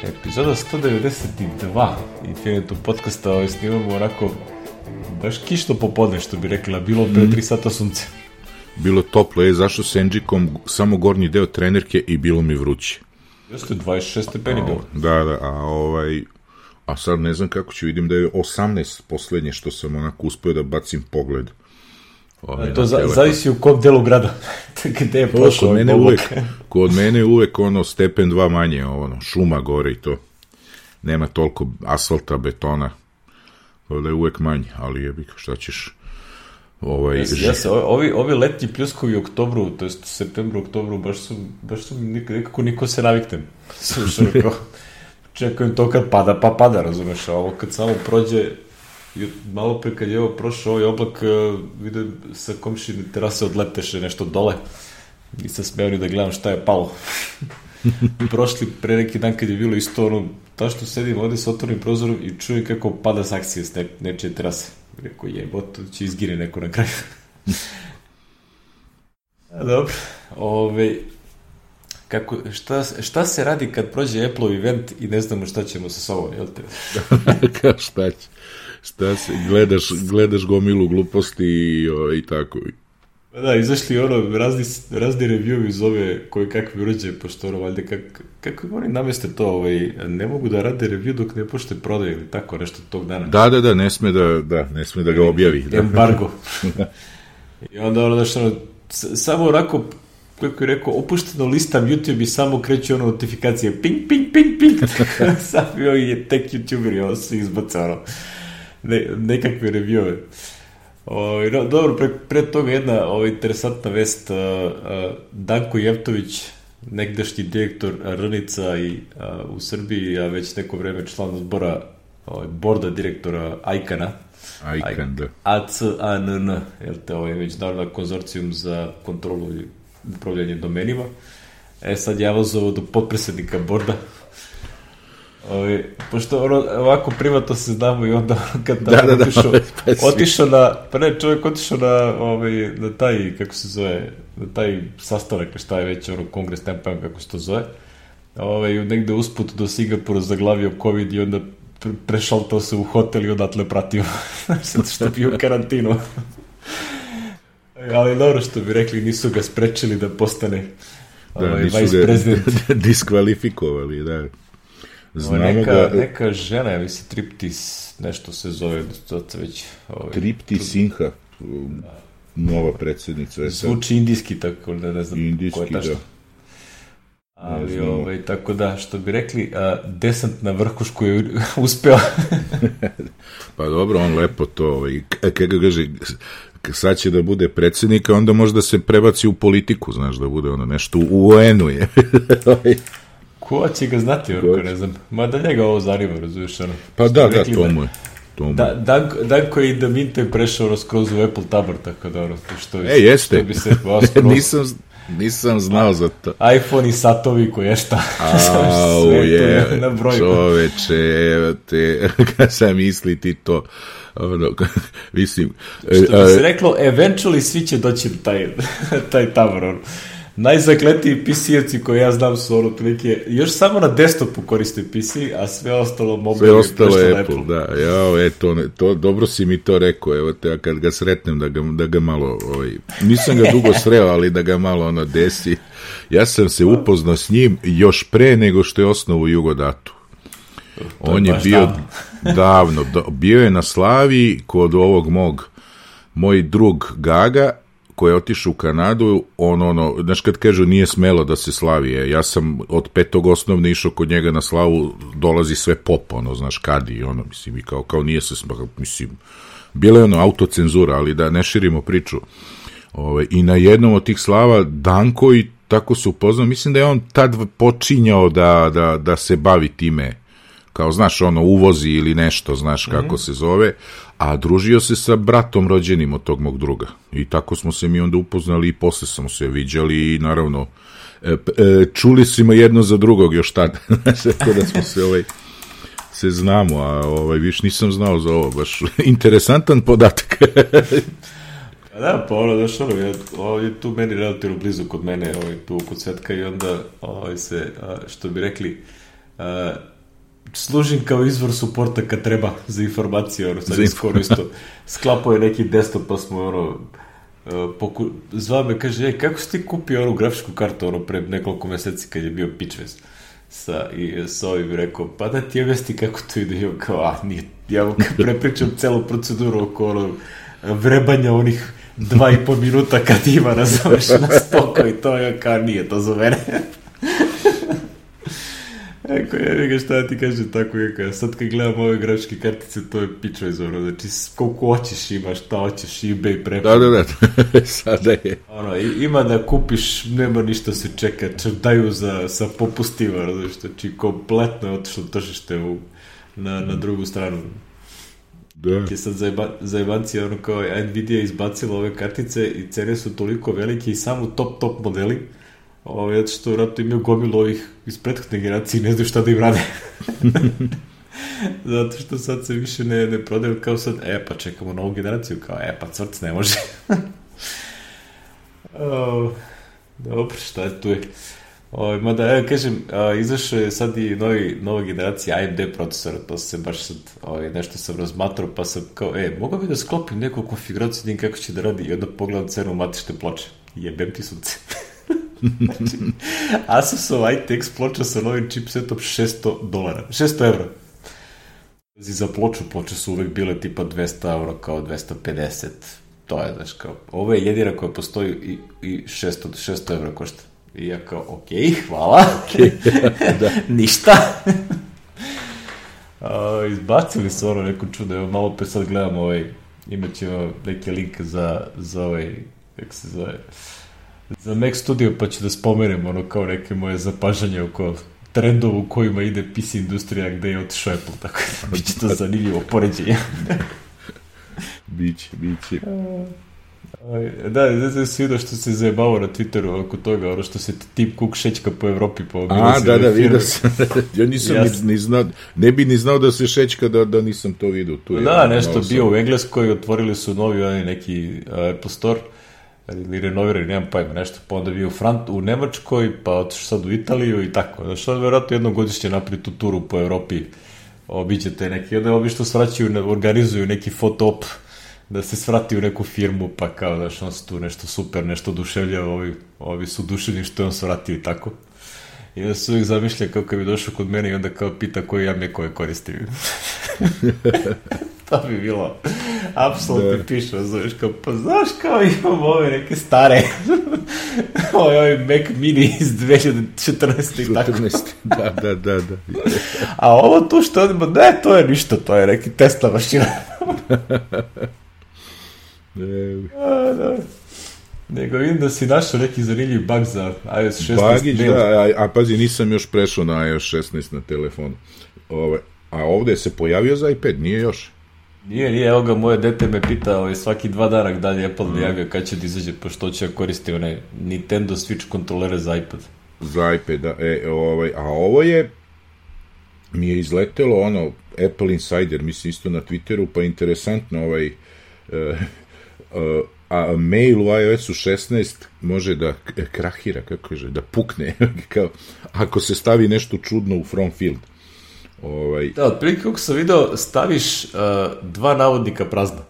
Epizoda 192 Infinitum podcasta snimamo onako baš kišno popodne, što bi rekla, bilo pre 3 sata sunce. Bilo toplo, zašao s Enđikom samo gornji deo trenerke i bilo mi vruće. Jeste 26 stepeni bilo. Da, a sad ne znam kako ću, vidim da je 18 poslednje što sam onako uspio da bacim pogled. To zavisi u kom delu grada. Gde je prošao kod mene je uvek stepen 2 manje, šuma gore i to. Nema toliko asfalta, betona. Da je uvek manje, ali jebik, šta ćeš... Ovi letnji pljuskovi u oktobru, to jest u septembru, oktobru, baš su nekako niko se naviknem. Slušao, čekujem to kad pada, pa pada, razumeš, a ovo kad samo prođe, malo pre kad je ovo prošao ovaj oblak, vidim sa komšine terase odleteše nešto dole, nisam smeo ni da gledam šta je palo. Prošli pre neki dan kad je bilo isto ta što sedim ovde sa otvornim prozorom i čujem kako pada saksija s nečije terase. Rekao, jebot, će izgine neko na kraju. Dobro, šta se radi kad prođe Apple event i ne znamo šta ćemo sa sobom, jel te? Kao šta će? Gledaš gomilu gluposti i tako. Da, izašli razni review iz ove koje kakve uređaje, pošto valjda kako oni nameste to, ne mogu da rade review dok ne pošte prodaje ili tako nešto tog dana. Da, ne sme da ga objavi. Embargo. I onda samo onako, kako je rekao, opušteno listam YouTube i samo kreću notifikacije, ping. Sam je tek YouTuber, ovo se izbaca nekakve reviewove. Dobro, pre toga jedna interesantna vest. Danko Jevtović, negdašnji direktor Rnica i u Srbiji, a već neko vreme član zbora borda direktora Ajkana. Ajkan, da. ACANN, Međunarodna konzorcijum za kontrolu i upravljanje domenima. Sad je avazovao do potpredsednika borda. Pošto ovako privatno se znamo i onda kad otišao na taj, kako se zove, na taj sastanak, šta je već kongres, ne pojam kako se to zove, negde usput do Singapura zaglavio COVID i onda prešaltao se u hotel i odatle pratio što je bio u karantinu. Ali dobro, što bi rekli, nisu ga sprečili da postane vice president. Diskvalifikovali, da. Neka žena, ja mislim, Triptis, nešto se zove, već... Triptis Sinha, nova predsjednica. Zvuči indijski, tako da ne znam ko je tačno. Ali, tako da, što bi rekli, desant na vrhušku je uspeo. Pa dobro, on lepo to, kada kaže, sad će da bude predsjednika, onda možda se prebaci u politiku, znaš, da bude nešto u UN-u je. Ko će ga znati, ne znam. Ma da njega ovo zanima, razumiješ, Pa da, to mu je. Danko je i da Minte prešao skroz u Apple tabor, tako da što jeste. Nisam znao za to. iPhone i satovi koje šta. Sve na brojku. Čoveče, kad sam misli ti to, mislim. Što bi se reklo, eventually svi će doći taj tabor, Najzakletiji PC-evci koje ja znam su otprilike, još samo na desktopu koriste PC, a sve ostalo mobilno. Sve ostalo je Apple, da. To, dobro si mi to rekao, evo te, kad ga sretnem da ga malo, nisam ga dugo sreo, ali da ga malo desi. Ja sam se upoznao s njim još pre nego što je osnovu Jugodatu. On je bio davno, bio je na Slavi kod ovog moj drug Gaga, koji je otišao u Kanadu, znaš kad kažu nije smelo da se slavi, ja sam od 5. osnovne išao kod njega na slavu, dolazi sve pop, znaš, kadi, mislim, i kao nije se smelo, mislim, bila je autocenzura, ali da ne širimo priču. I na jednom od tih slava Danko i tako se upoznao, mislim da je on tad počinjao da se bavi time, kao, znaš, uvozi ili nešto, znaš kako se zove, a družio se sa bratom rođenim od tog mog druga. I tako smo se mi onda upoznali i posle smo se viđali i naravno čuli smo jedno za drugog još tad. Tako da smo se znamo, a više nisam znao za ovo, baš interesantan podatak. Da, pa je tu meni relativno blizu kod mene, tu kod Svetka i onda se, što bi rekli, služim kao izvor suporta kad treba za informacije, sad je skoro isto sklapao je neki desktop, pa smo zvao me, kaže, kako si ti kupio onu grafičku kartu pre nekoliko meseci kad je bio Pitchfest sa ovim rekao, pa da ti objasni kako to ide, i kao, nije, ja vam prepričam celu proceduru oko vrebanja onih 2,5 minuta kad ima razumeš na spoko i to je kao nije to za mene. Eko, ja šta ti kažem tako, sad kad gledam ove grafičke kartice, to je pičo izvorno, znači koliko hoćeš imaš, šta hoćeš, eBay prepad. Da, sada je. Ima da kupiš, nema ništa se čeka, daju sa popustima, znači kompletno je otišlo tržište na drugu stranu. Da. Je sad zajebanci, kao Nvidia izbacila ove kartice i cene su toliko velike i samo top modeli, zato što vratno imaju gomilu ovih iz prethodne generacije i ne znaju šta da im rade. Zato što sad se više ne prodaju kao sad, pa čekamo novu generaciju, kao pa crc ne može. Dobro, šta je tu je? Mada, kažem, izašao je sad i nova generacija AMD procesora, to se baš sad nešto sam razmatrao, pa sam kao, mogao bi da sklopim neku konfiguraciju, vidim kako će da radi i onda pogledam cenu matične ploče. Jebem ti sunce. Znači, Asusov ITX ploča sa novim chipsetom $600. €600. Za ploče su uvek bile tipa €200, kao 250. To je, znaš, kao, ovo je jedina koja postoji i €600 košta. I ja kao, okej, hvala. Da. Ništa. Izbacili su neko čudo, evo malo pe sad gledam imat ćemo neki link za kako se zove, za Mac Studio, pa ću da spomenem kao neke moje zapažanje oko trendova u kojima ide PC industrija gde je otišao Apple, tako da biće to zanimljivo poređenje. Biće. Da, ne si vidio što se zajebao na Twitteru oko toga, što se Tim Cook šećka po Evropi. Da, vidio sam. Ja nisam ni znao, ne bi ni znao da se šećka da nisam to vidio. Da, nešto bio u Engleskoj, otvorili su novi neki Apple Store, ili renovirali, nemam pojma, nešto, pa onda bio u Nemačkoj, pa otišao sad u Italiju i tako. Znači, onda vjerojatno jednogodišnje napravi tu turu po Evropi, obiđete neki, onda obično svraćaju, organizuju neki foto-op, da se svrati u neku firmu, pa kao da on se tu nešto super, nešto oduševljava, ovi su oduševljeni što je on svratio i tako. I da se uvijek zamišlja kao kad bi došao kod mene i onda kao pita koji ja mekove koristim. To bi bilo apsolutno pišno, znaš, kao, pa znaš kao imam ove neke stare ovaj Mac Mini iz 2014. i tako. 14. Da. A ovo tu što odimo, ne, to je ništa, to je neki Tesla mašina. Da. Nego vidim da si našao neki zanimljiv bug za iOS 16. Bagić, da, a pazi, nisam još prešao na iOS 16 na telefonu. A ovde se pojavio za iPad, nije još? Nije, evo ga, moje dete me pita svaki 2 dana da li Apple najavio kad će da izađe, pošto će koristiti one Nintendo Switch kontrolere za iPad. Za iPad, da. A ovo mi je izletelo Apple Insider, mislim isto na Twitteru, pa interesantno a mail u iOS-u 16 može da krahira, kako kaže, da pukne, kao, ako se stavi nešto čudno u from field. Da, otprilike kako sam video, staviš 2 navodnika prazna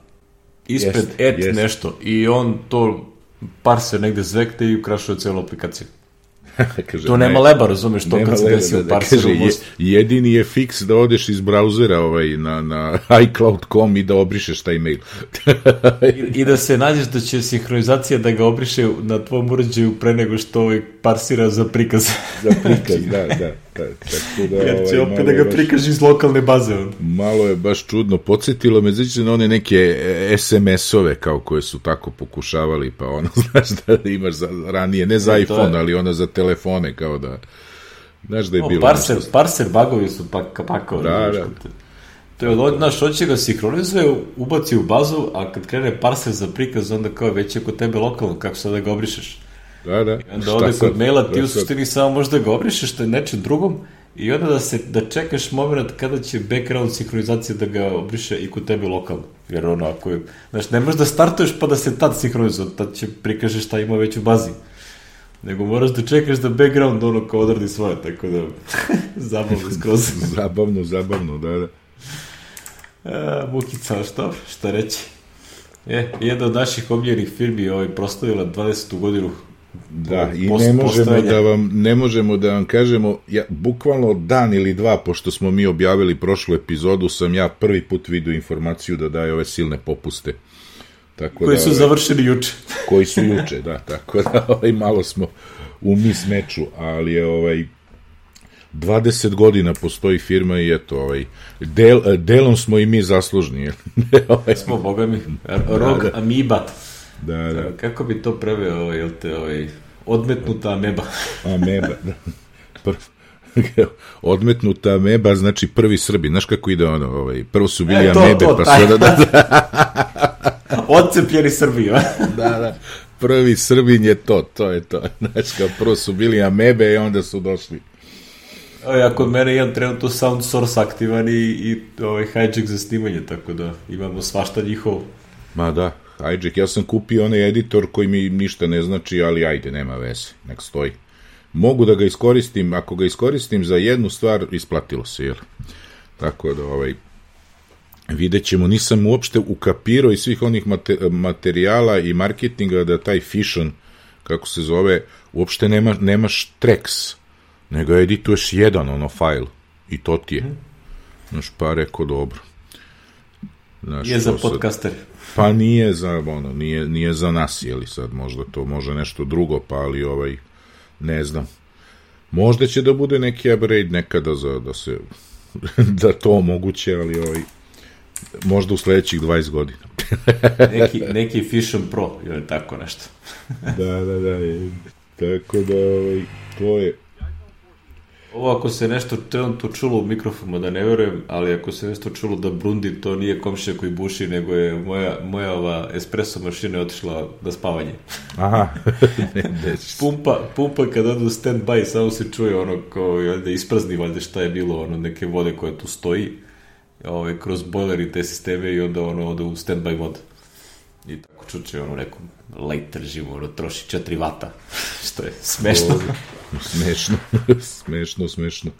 ispred nešto i on to parser negde zvekte i ukrašuje celu aplikaciju. Kaže, to nema leba, razumeš, to kad se desi u parseru. Jedini je fiks da odeš iz brauzera na iCloud.com i da obrišeš taj mail. I da se nađeš da će sinhronizacija da ga obriše na tvom uređaju pre nego što parsira za prikaz. Za prikaz, da. Jer će opet da ga prikaži iz lokalne baze. Malo je baš čudno. Podsjetilo me, znači na one neke SMS-ove kao koje su tako pokušavali, pa znaš da imaš ranije, ne za iPhone, ali za telefone, kao da znaš da je bilo parser bugovi su pakao. Da. To je znaš, hoće ga sinhronizuje, ubaci u bazu, a kad krene parser za prikaz, onda kao već je kod tebe lokalno, kako sad da ga obrišeš. Da. I onda ovde kod maila ti u suštini samo možda ga obrišeš što je nečem drugom i onda da čekaš moment kada će background sinhronizacija da ga obriše i kod tebe lokalno. Jer ako je, znaš, ne možeš da startuješ pa da se tad sinhronizuje, tad će prikažeš šta ima već u bazi. nego moraš da čekaš da background ono kao odradi svoje, tako da zabavno skroz. Zabavno, da. Mukica, šta reći? Jedna od naših omiljenih firmi proslavila 20. godinu. Da, i ne možemo da vam kažemo, bukvalno dan ili dva, pošto smo mi objavili prošlu epizodu, sam ja prvi put vidio informaciju da daje ove silne popuste. Koji su završeni juče. Koji su juče, da, tako da malo smo u mismeču, ali je 20 godina postoji firma i eto, delom smo i mi zaslužni. Smo, boga mi, rog amiba. Da. Kako bi to preveo, odmetnuta ameba? Ameba, da. Odmetnuta ameba, znači prvi Srbi. Znaš kako ide ono, prvo su bili amebe, pa sada odcepljeni Srbi. Da. Prvi Srbin je to je to. Znači, kao prvo su bili amebe i onda su došli. Ja kod mene imam trenutno sound source aktivan i hijack za snimanje, tako da imamo svašta njihovo. Ma da, hijack, ja sam kupio onaj editor koji mi ništa ne znači, ali ajde, nema veze, nek stoji. Mogu da ga iskoristim, ako ga iskoristim za jednu stvar, isplatilo se, jel? Tako da, vidjet ćemo, nisam uopšte ukapirao iz svih onih materijala i marketinga da taj Fission, kako se zove, uopšte nemaš tracks, nego edituješ jedan fajl i to ti je. Znaš, pa rekao dobro. Je za podcaster. Pa nije za nas, jeli sad, možda to može nešto drugo, pa ali ne znam. Možda će da bude neki upgrade nekada da se da to omoguće, ali možda u sledećih 20 godina. neki Fission Pro, ili tako nešto. Da. Tako da, to je. Ovo ako se nešto trenutno čulo u mikrofonu, da ne verujem, ali ako se nešto čulo da brundi, to nije komšija koji buši, nego je moja espresso mašina otišla na spavanje. Aha. Pumpa kada odu stand-by, samo se čuje kao da isprazni valjda šta je bilo, neke vode koja tu stoji, kroz bojler i te sisteme i onda ode u stand-by mod. I tako čuče nekom light režimu, troši 4 vata, što je smešno. Smešno.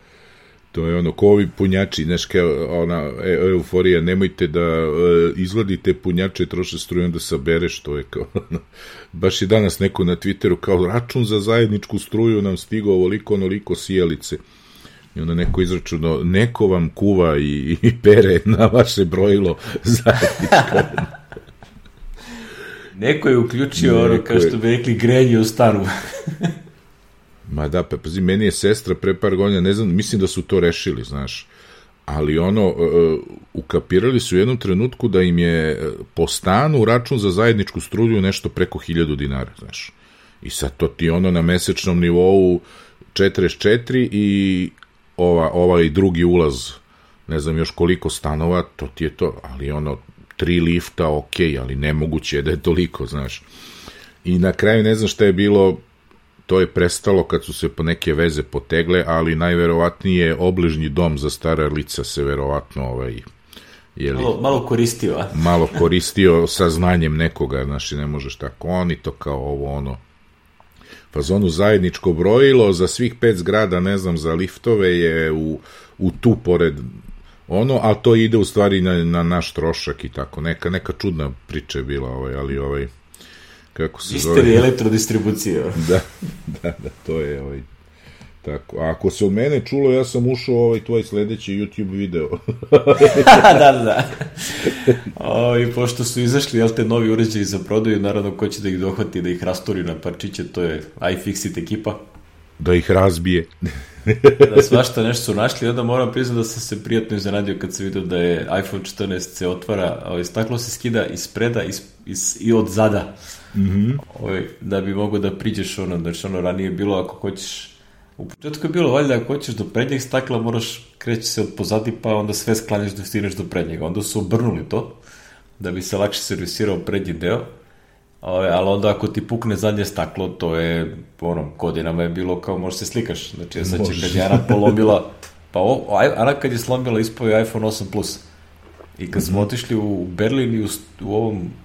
To je ko ovi punjači, znaš, ona euforija, nemojte da izvadite punjače, troše struju, onda sabereš, to je kao, baš je danas neko na Twitteru, kao račun za zajedničku struju nam stigao onoliko sijalice. I onda neko izračunao, neko vam kuva i pere na vaše brojilo zajedničko. Neko je uključio kao što bi rekli, grenje u stanu. Ma da, pazi, meni je sestra pre par godina, ne znam, mislim da su to rešili, znaš, ali ukapirali su u jednom trenutku da im je po stanu račun za zajedničku struju nešto preko 1000 dinara, znaš. I sad to ti na mesečnom nivou 44 i ovaj drugi ulaz, ne znam još koliko stanova, to ti je to, ali 3 lifta, ali nemoguće je da je toliko, znaš. I na kraju ne znam šta je bilo, to je prestalo kad su se po neke veze potegle, ali najverovatnije obližnji dom za stara lica se verovatno malo koristio, a? Malo koristio sa znanjem nekoga, znaš, ne možeš tako, oni to kao fazonu zajedničko brojilo za svih 5 zgrada, ne znam, za liftove je u tu pored a to ide u stvari na naš trošak i tako, neka čudna priča je bila, ali kako se zove? Misteri elektrodistribucije. Da, to je tako. A ako se od mene čulo, ja sam ušao tvoj sledeći YouTube video. Da. I pošto su izašli, novi uređaji za prodaju, naravno ko će da ih dohvati, da ih rasturi na parčiće, to je iFixit ekipa. Da ih razbije. Da svašta nešto su našli, onda moram priznati da sam se prijatno iznenadio kad sam vidio da je iPhone 14 se otvara, staklo se skida ispreda i od zada. Da bi mogo da priđeš znači ranije je bilo ako hoćeš, u početku je bilo valjda ako hoćeš do prednjeg stakla moraš kreći se od pozadi pa onda sve sklanjaš da stigneš do prednjega, onda su obrnuli to da bi se lakše servisirao prednji deo, ali onda ako ti pukne zadnje staklo to je godinama je bilo kao možeš se slikaš, znači sad će kad je Ana polomila Ana kad je slomila ispao je iPhone 8 Plus. I kad smo otišli u Berlin i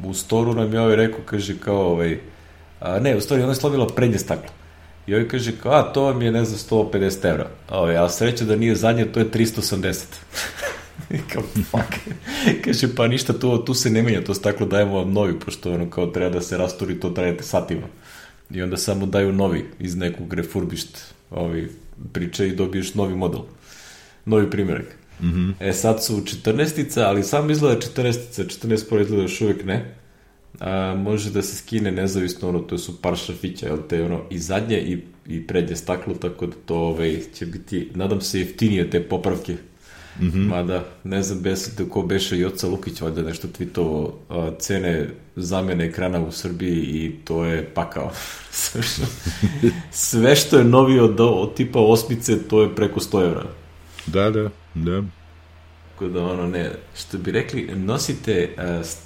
u storu nam je rekao, kaže kao, ne, u stvari ona je slomila prednje staklo. I ovaj kaže, kao, to vam je, ne znam, 150 evra. A sreća da nije zadnje, to je 380. I kao, fuck. Kaže, pa ništa, tu se ne menja, to staklo dajemo vam novi, pošto ono kao treba da se rasturi, to trajete satima. I onda samo daju novi iz nekog refurbished priče i dobiješ novi model. Novi primjerak. Sad su 14-ica, ali samo izgleda 14-ica, 14 Pro izgleda još uvijek ne. Može da se skine nezavisno, to su par šafića, i zadnje i prednje staklo, tako da to će biti, nadam se, jeftinije te popravke. Mada, ne znam ko beše Joca Lukić, valjda nešto tweetovo, cene zamene ekrana u Srbiji i to je pakao. Sve što je novi od tipa osmice, to je preko 100 evra. Da. Tako da, što bi rekli, nosite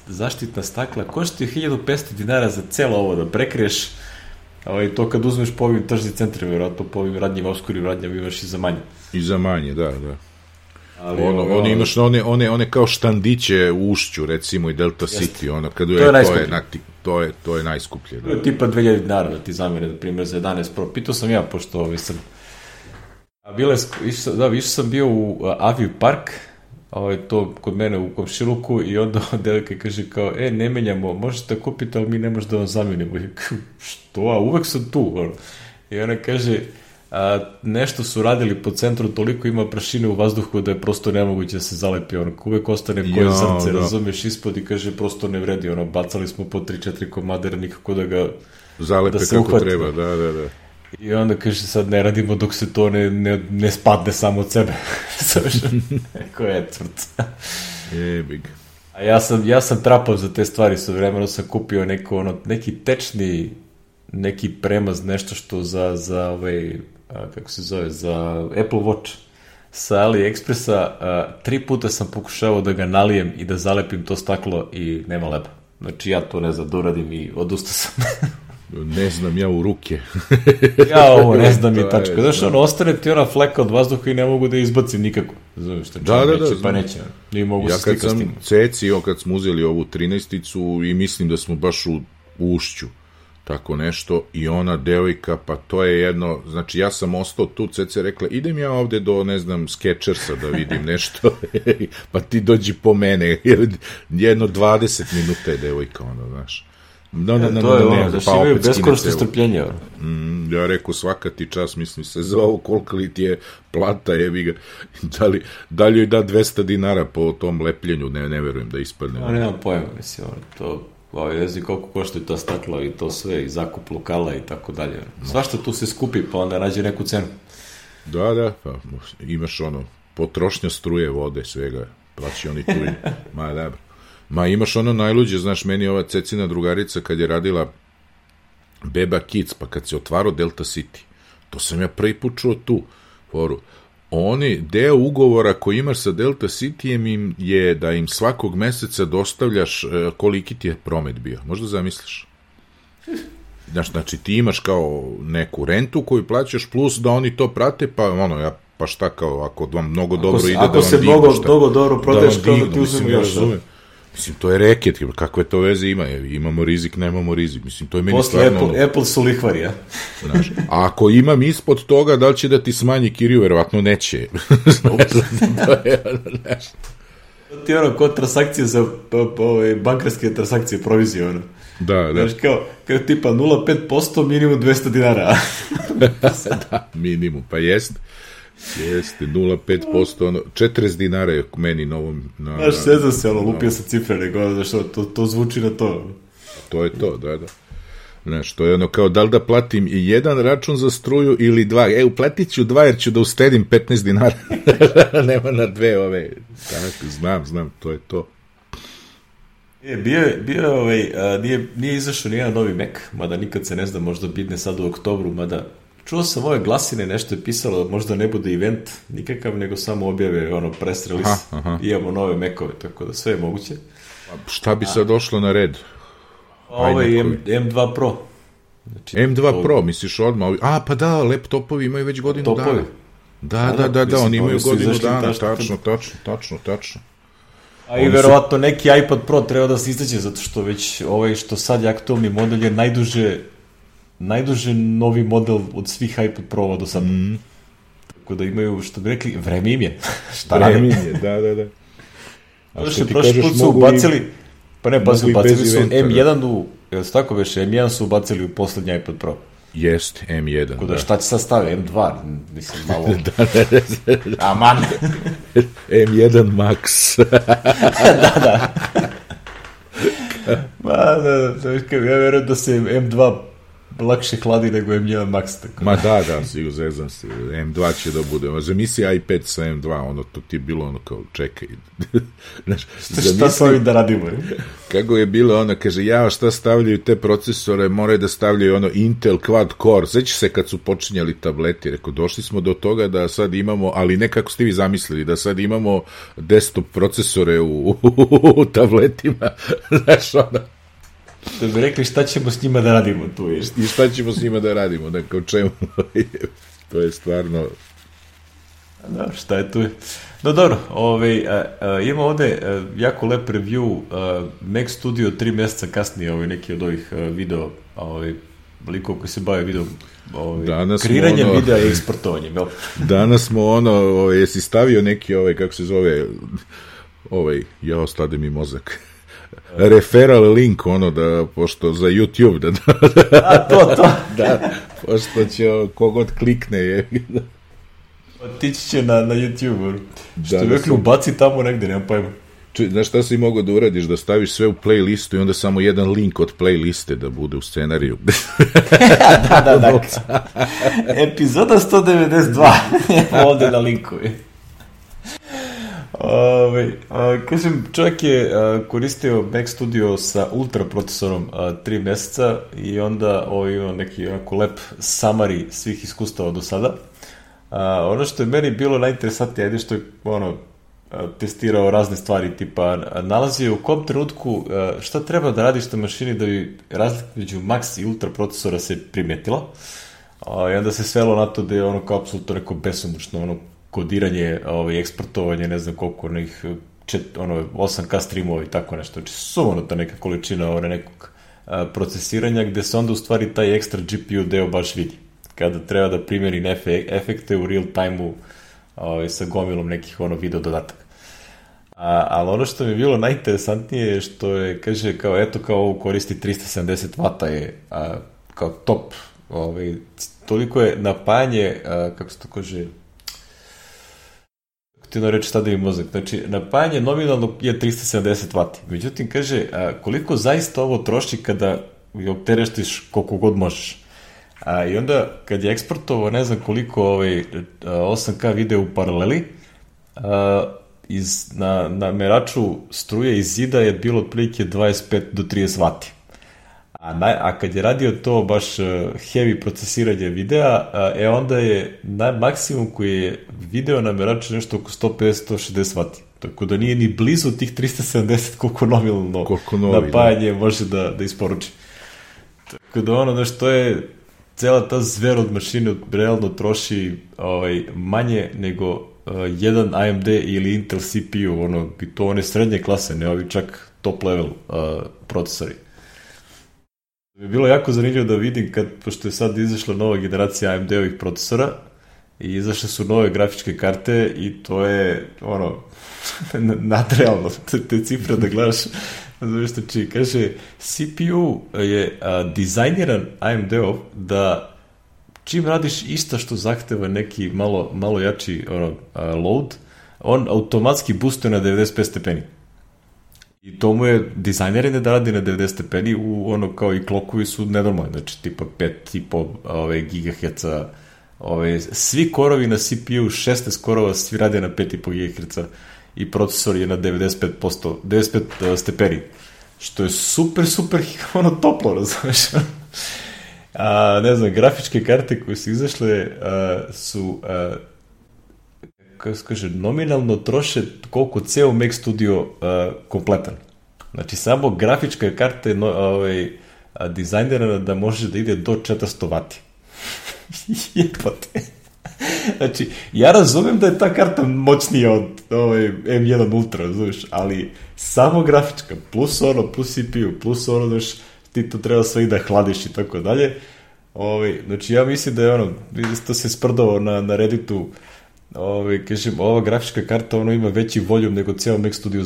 zaštitna stakla, koštaju 1500 dinara za celo ovo, da prekriješ, to kad uzmeš po ovim tržnim centrima, vjerojatno po ovim radnjim oskurim radnjama imaš i za manje. I za manje, da. Ali imaš one kao štandiće u Ušću, recimo, i Delta City, to je najskuplje. To je tipa 2000 dinara da ti zamene, na primjer, za 11 Pro. Pitao sam ja, pošto sam... Išao sam bio u Aviju Park, to kod mene u komšiluku, i onda devojka kaže kao, ne menjamo, možete kupiti, ali mi ne možemo da vam zamenimo. Što? A uvek sam tu. I ona kaže, nešto su radili po centru, toliko ima prašine u vazduhu da je prosto nemoguće da se zalepi, uvek ostane koje zrce, razumeš, ispod, i kaže, prosto ne vredi, bacali smo po 3-4 komadera, nikako da ga zalepe kako treba, da. I onda kaže, sad ne radimo dok se to ne spadne samo od sebe. Koja je tvrd. Jebig. A ja sam trapao za te stvari, sa vremenom sam kupio neki tečni, neki premaz, nešto što za kako se zove, za Apple Watch sa AliExpressa. 3 puta sam pokušavao da ga nalijem i da zalepim to staklo i nema leba. Znači ja to ne znam da uradim i odustao sam. Ne znam ja u ruke. Ja ovo ne znam i tačka. Znaš, ostane ti ona fleka od vazduha i ne mogu da je izbacim nikako. Znaš, pa neće. Ne mogu se slikati s tim. Ja kad sam cecio, kad smo uzeli ovu 13-icu i mislim da smo baš u Ušću, tako nešto, i ona devojka, pa to je jedno, znači ja sam ostao tu, Cece rekla, idem ja ovde do, ne znam, Skechersa da vidim nešto, pa ti dođi po mene, jedno 20 minuta je devojka, znaš. To je znaš, imaju beskorisno strpljenje. Ja rekao, svaka ti čas, mislim se za ovo, koliko li ti je plata, jebi ga, da li joj da 200 dinara po tom lepljenju, ne verujem da ispadne. Ja nemam pojma, mislim, to, ne znam koliko košta to staklo i to sve, i zakup lokala i tako dalje. Svašta tu se skupi, pa onda nađe neku cenu. Da, pa imaš potrošnja struje, vode, svega, plaći oni tu i, dobro. Ma imaš najluđe, znaš, meni ova Cecina drugarica kad je radila Beba Kids, pa kad se otvarao Delta City, to sam ja prvi put čuo tu foru. Deo ugovora koji imaš sa Delta Cityjem je da im svakog meseca dostavljaš koliki ti je promet bio. Možda zamisliš? Znači ti imaš kao neku rentu koju plaćaš, plus da oni to prate, pa šta kao, ako vam mnogo dobro ide da vam dignu. Ako se mnogo dobro prodaješ, kao da ti uzmemo još. Mislim, to je reket, kakve to veze ima, imamo rizik, nemamo rizik, mislim, to je meni stvarno... Posle Apple su lihvari, ja? Znaš, a ako imam ispod toga, da li će da ti smanji kiriju, verovatno neće. Znaš, to ti je kod transakcije za bankarske transakcije, provizije, Da. Znaš, kao tipa 0,5%, minimum 200 dinara. Da, minimum, pa jeste, 0,5%, 40 dinara je meni novom... Znaš, sezam se, lupio sa cifre, nego, znaš, to zvuči na to. To je to, da. Znaš, to je kao da li da platim i jedan račun za struju ili dva. Uplatit ću 2 jer ću da ustedim 15 dinara. Nema na 2 ove. Tako, znam, to je to. Nije izašao nijedan novi Mac, mada nikad se ne zna, možda bitne sad u oktobru, mada čuo sam ove glasine, nešto je pisalo, možda ne bude event nikakav, nego samo objave press release. Imamo nove Macove, tako da sve je moguće. Šta bi sad došlo na red? Ovo je M2 Pro. Znači, M2 Pro, misliš odmah? Pa da, laptopovi imaju već godinu dana. Da, oni imaju godinu dana, tačno. A i verovatno neki iPad Pro treba da se izađe, zato što već što sad je aktualni model je najduže najduže novi model od svih iPad Pro-ova do sada. Tako da imaju, što bi rekli, vreme im je. Vreme im je, da. A što ti kažeš, put su ubacili, pa ne, ubacili su M1 jel se tako veše, M1 su ubacili u poslednji iPad Pro. Jest, M1. Tako da šta će sad staviti, M2, mislim, malo... Aman! M1 Max. Da. Ja verujem da se M2 lakše hladi nego M1 Max. Tako. Ma da, zezam se. M2 će da bude. Zamisli iPad sa M2, to ti je bilo kao, čekaj. Šta s ovim da radimo? Kako je bilo kaže, šta stavljaju te procesore, moraju da stavljaju Intel Quad Core. Sveći se kad su počinjali tableti, rekao, došli smo do toga da sad imamo, ali ne kako ste vi zamislili, da sad imamo desktop procesore u tabletima. Znaš, da bi rekli šta ćemo s njima da radimo tu. I šta ćemo s njima da radimo, o čemu, to je stvarno... Da, šta je tu? No dobro, ima ovde jako lep review Mac Studio 3 meseca kasnije, neki od ovih video, likova koji se bave video kreiranjem videa i eksportovanjem. Danas smo jesi stavio neki kako se zove, stade mi mozak. Referral link, da, pošto za YouTube, to. Da, pošto će kogod klikne je... Otići će na YouTube, što je uvijek ubaci tamo negde, nemam pojma. Znaš šta si mogao da uradiš, da staviš sve u playlistu i onda samo jedan link od playliste da bude u scenariju. Da. Epizoda 192, ovde na linkovi. Kažem, čovjek je koristio Mac Studio sa ultra procesorom 3 meseca i onda ima neki onako lep summary svih iskustava do sada. Ono što je meni bilo najinteresantnije je što je testirao razne stvari, tipa nalazio u kom trenutku šta treba da radiš na mašini da bi razlika među max i ultra procesora se primetila, i onda se svelo na to da je kao apsolutno neko besomučno kodiranje, eksportovanje, ne znam koliko, 8K streamova i tako nešto, znači sumanuta neka količina nekog procesiranja, gde se onda u stvari taj ekstra GPU deo baš vidi kada treba da primjeri efekte u real time-u sa gomilom nekih video dodataka. Ali ono što mi je bilo najinteresantnije je što je, kaže, kao ovo koristi 370 W je kao top, toliko je napajanje, kako se to kaže, ti reći šta da mi mozak, znači napajanje nominalno je 370 W, međutim kaže, koliko zaista ovo troši kada optereštiš koliko god možeš. I onda, kad je eksportovao, ne znam koliko 8K video u paraleli, na meraču struje iz zida je bilo otprilike 25 do 30 W. A kad je radio to baš heavy procesiranje videa, onda je maksimum koji je video na meraču nešto oko 150-160 W. Tako da nije ni blizu tih 370 koliko nominalno napajanje može da isporuči. Tako da što je cela ta zver od mašine realno troši manje nego jedan AMD ili Intel CPU, i to one srednje klase, ne ovi čak top level procesori. bi bilo jako zanimljivo da vidim, pošto je sad izašla nova generacija AMD-ovih procesora i izašle su nove grafičke karte i to je nadrealno, te cifre da gledaš. Znači, kaže, CPU je dizajniran AMD-ov da čim radiš isto što zahteva neki malo jači load, on automatski boostuje na 95 stepeni. I to mu je dizajneren da radi na 90 stepeni, kao i klokovi su nenormalni, znači tipa 5,5 GHz, svi korovi na CPU, 16 korova, svi rade na 5,5 GHz i procesor je na 95 stepeni, što je super toplo, razumeš? Ne znam, grafičke karte koje su izašle su kako se kaže, nominalno troše koliko ceo Mac Studio kompletan. Znači, samo grafička karta je dizajnirana da može da ide do 400 W. Jebate. Znači, ja razumem da je ta karta moćnija od M1 Ultra, razumiješ, ali samo grafička, plus CPU, plus znaš, ti to treba sve i da hladiš i tako dalje, Znači ja mislim da je ono, to se sprdao na Redditu, kažem, ova grafička karta ima veći voljum nego cijelo Mac Studio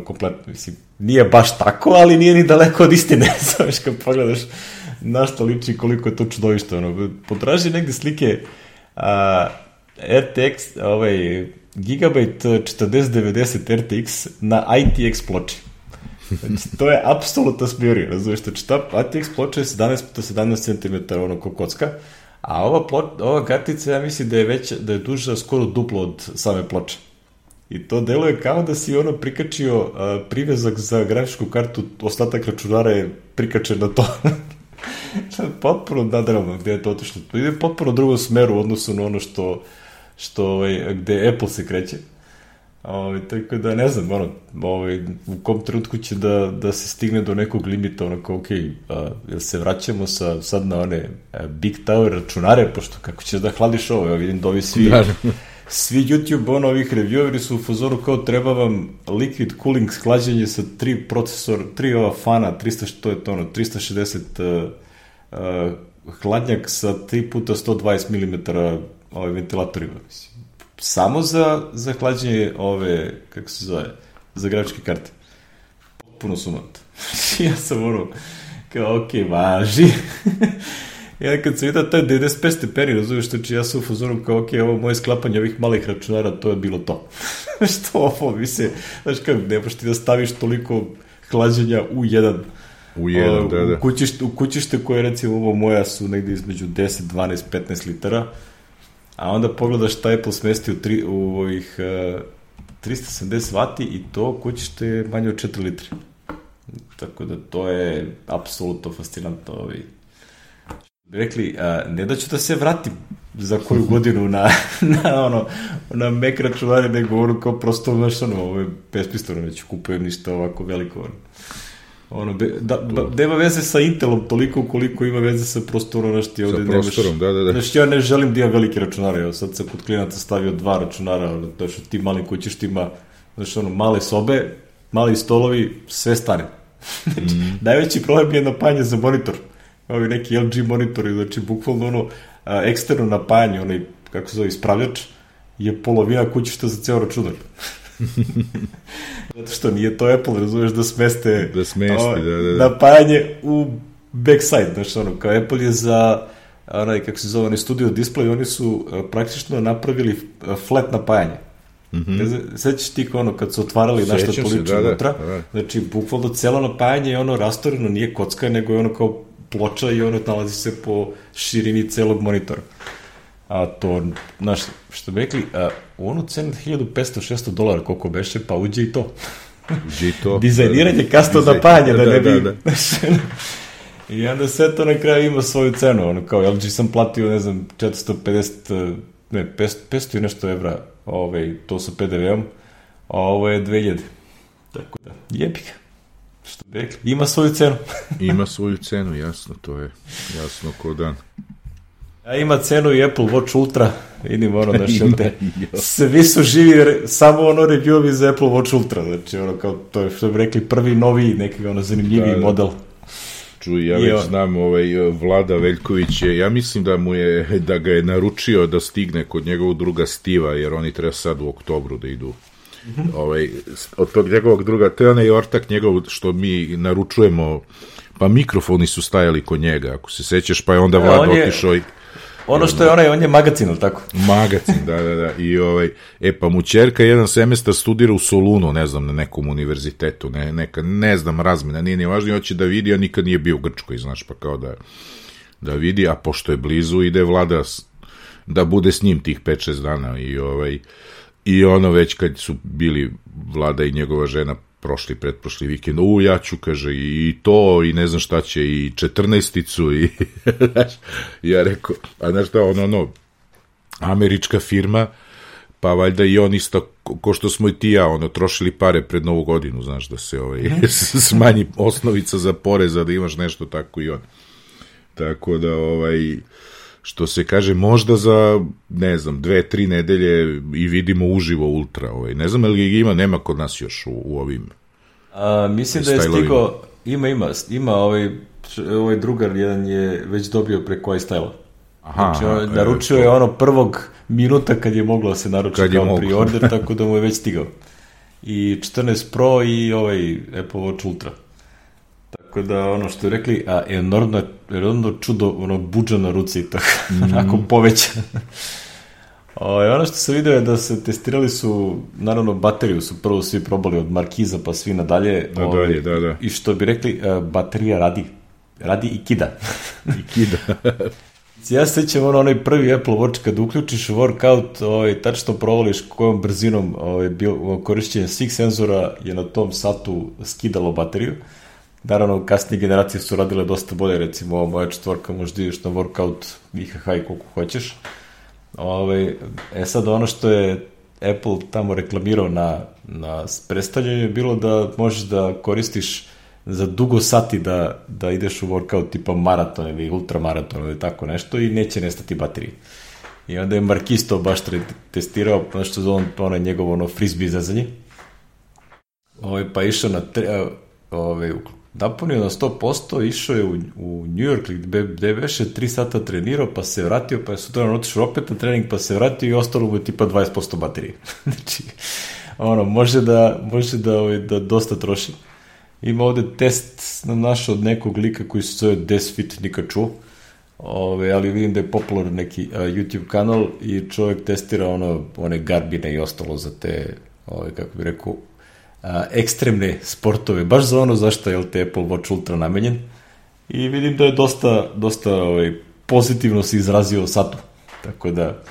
kompletno, mislim, nije baš tako, ali nije ni daleko od istine, znaš, kad pogledaš na što liči, koliko je to čudovište, potraži negde slike RTX, Gigabyte 4090 RTX na ITX ploči. Znači, to je apsolutna smjerija, razumiješ, znači ta ITX ploča je 17x17 cm, ko kocka, a ova kartica, ja mislim da je veća, da je duža skoro duplo od same ploče. I to deluje kao da si prikačio privezak za grafičku kartu, ostatak računara je prikačen na to. Potpuno nadrealno gde je to otišlo. To ide potpuno drugom smeru u odnosu na ono gde Apple se kreće. Tako da ne znam, u kom trenutku će da se stigne do nekog limita, jel se vraćamo sad na one Big Tower računare, pošto kako ćeš da hladiš ovo, vidim da ovi svi YouTube ovih revieweri su u fazoru kao treba vam liquid cooling sklađenje sa 3 fana, 360 hladnjak sa 3 puta 120 mm ventilatorima, mislim. Samo za hlađenje kako se zove, za grafičke karte. Puno sumant. Ja sam kao, važi. Ja kad sam vidio taj 95 stepeni, razumiješ, znači ja sam u fazonu kao, ovo moje sklapanje ovih malih računara, to je bilo to. Što ovo, mislim, znaš kako, nemaš ti da staviš toliko hlađenja u jedan. Da. U kućište koje, recimo, ovo moja su negdje između 10, 12, 15 litara, a onda pogledaš šta je Apple smestio u ovih 370 vati i to kućište je manje od 4 litre. Tako da to je apsolutno fascinantno. Rekli, ne da ću da se vratim za koju godinu na Mac računare, nego kao prosto ovo je besmisleno, neću kupujem ništa ovako veliko. Nema veze sa Intelom toliko koliko ima veze sa prostorom, sa prostorom, da. Znači ja ne želim da imam velike računare, sad sam kod klijenata stavio 2 računara, znači ti malim kućištima, znači male sobe, mali stolovi, sve stane. Najveći problem je napajanje za monitor, ovi neki LG monitori, znači bukvalno eksterno napajanje, kako se zove, ispravljač, je polovina kućišta za ceo računar. Zato što nije to Apple, razumeš, da smesti napajanje u backside, znači kao Apple je za kako se zove, studio display, oni su praktično napravili flat napajanje. Sećaš ti kad su otvarali našta polično unutra, znači bukvalno celo napajanje je rastoreno, nije kocka, nego je kao ploča i nalazi se po širini celog monitora. A to, znaš, što bi rekli, u onu cenu $1,500-600 koliko beše, pa uđe i to. Dizajniranje custom napajanje, da ne bi... I onda sve to na kraju ima svoju cenu, kao LG sam platio, ne znam, 450, ne, 500 i nešto evra, to sa PDV-om, a ovo je 2000. Tako da, jebi ga. Što bi rekli, ima svoju cenu. Ima svoju cenu, jasno, to je jasno ko dan. A ima cenu i Apple Watch Ultra, vidim svi su živi, samo review-ovi za Apple Watch Ultra, znači kao to je, što bi rekli, prvi novi, neki zanimljiviji model. Čuj, ja već znam, Vlada Veljković je, ja mislim da ga je naručio da stigne kod njegovog druga Stiva, jer oni treba sad u oktobru da idu. Od tog njegovog druga, to je onaj ortak njegov što mi naručujemo, pa mikrofoni su stajali kod njega, ako se sećaš, pa je onda Vlada otišao i... Ono što je on je magazin, ili tako? Magazin, da. I pa mu ćerka jedan semestar studira u Solunu, ne znam, na nekom univerzitetu, ne znam, razmena, nije ni važno, hoće da vidi, a nikad nije bio u Grčkoj, znaš, pa kao da vidi, a pošto je blizu, ide Vlada da bude s njim tih 5-6 dana i već kad su bili Vlada i njegova žena pretprošli vikend, ja ću, kaže, i to, i ne znam šta će, i 14-icu, i ja rekao, a znaš šta, američka firma, pa valjda i on isto, ko što smo i ti ja, trošili pare pred Novu godinu, znaš, da se smanji osnovica za poreza, da imaš nešto tako i on. Tako da, što se kaže, možda za, ne znam, 2-3 nedelje i vidimo uživo Ultra. Ne znam, ali ga ima, nema kod nas još u ovim mislim da je stigao Ima ovaj drugar jedan je već dobio preko iStyle-a. Znači, naručio je ono prvog minuta kad je moglo da se naruči kao pre-order, tako da mu je već stigao. I 14 Pro i ovaj Apple Watch Ultra. Tako da, ono što je rekli, enormno čudo, ono, budža na ruci i tako, onako poveća. Ono što sam vidio je da se testirali su, naravno, bateriju su prvo svi probali od Markiza pa svi nadalje. Da. I što bi rekli, baterija radi i kida. Ja se sećam onaj prvi Apple Watch kad uključiš workout, tačno provališ kojom brzinom korišćenje svih senzora je na tom satu skidalo bateriju. Naravno, kasnije generacije su radile dosta bolje, recimo ova moja četvorka možda ideš na workout IHH koliko hoćeš. Sad ono što je Apple tamo reklamirao na predstavljanju je bilo da možeš da koristiš za dugo sati da ideš u workout tipa maraton ili ultramaraton ili tako nešto i neće nestati baterije. I onda je Marquis to baš testirao, što zove ono njegovo frisbee zezanje. Pa išao na napunio na 100%, išao je u New York gde veše 3 sata trenirao, pa se vratio, pa je sutra otišao opet na trening, pa se vratio i ostalo mu je tipa 20% baterije. Znači, može da dosta troši. Ima ovde test nam našao od nekog lika koji se zove Desfit, nikad čuo, ali vidim da je popularan neki YouTube kanal i čovjek testira one garbine i ostalo za te, kako bi rekao, ekstremne sportove, baš za ono zašto je te Apple Watch Ultra namenjen i vidim da je dosta pozitivno se izrazio o satu, tako da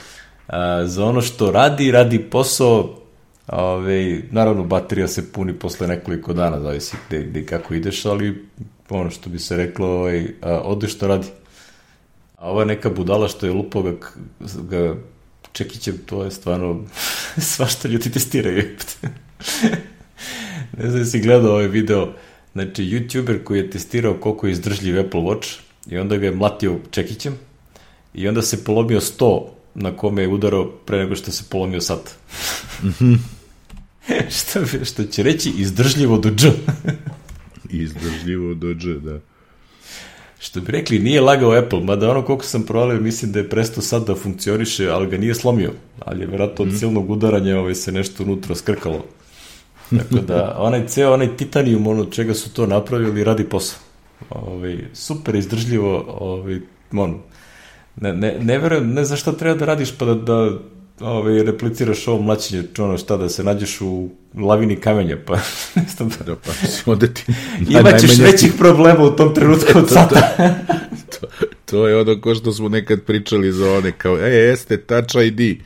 za ono što radi posao. Naravno, baterija se puni posle nekoliko dana, zavisi gde i kako ideš, ali ono što bi se reklo, ode što radi. A ova neka budala što je lupao ga čekićem, to je stvarno svašta ljudi testiraju. Ne znam da si gledao ovaj video, znači YouTuber koji je testirao koliko je izdržljiv Apple Watch i onda ga je mlatio čekićem i onda se polomio 100 na kome je udarao pre nego što se polomio sat. Što će reći izdržljivo do dž. Izdržljivo do dž, da. Što bi rekli, nije lagao Apple, mada ono koliko sam provalio, mislim da je prestao sad da funkcioniše, ali ga nije slomio. Ali je vjerojatno od silnog udaranja se nešto unutra skrkalo. Tako da, onaj titanijum, ono čega su to napravili, radi posao. Super izdržljivo, ne verujem, ne znaš šta treba da radiš pa da repliciraš ovo mlačenje, šta da se nađeš u lavini kamenja, pa ne znam da... onda ti imaćeš većih problema u tom trenutku od sata. To je ono ko što smo nekad pričali za one, kao, jeste, Touch ID,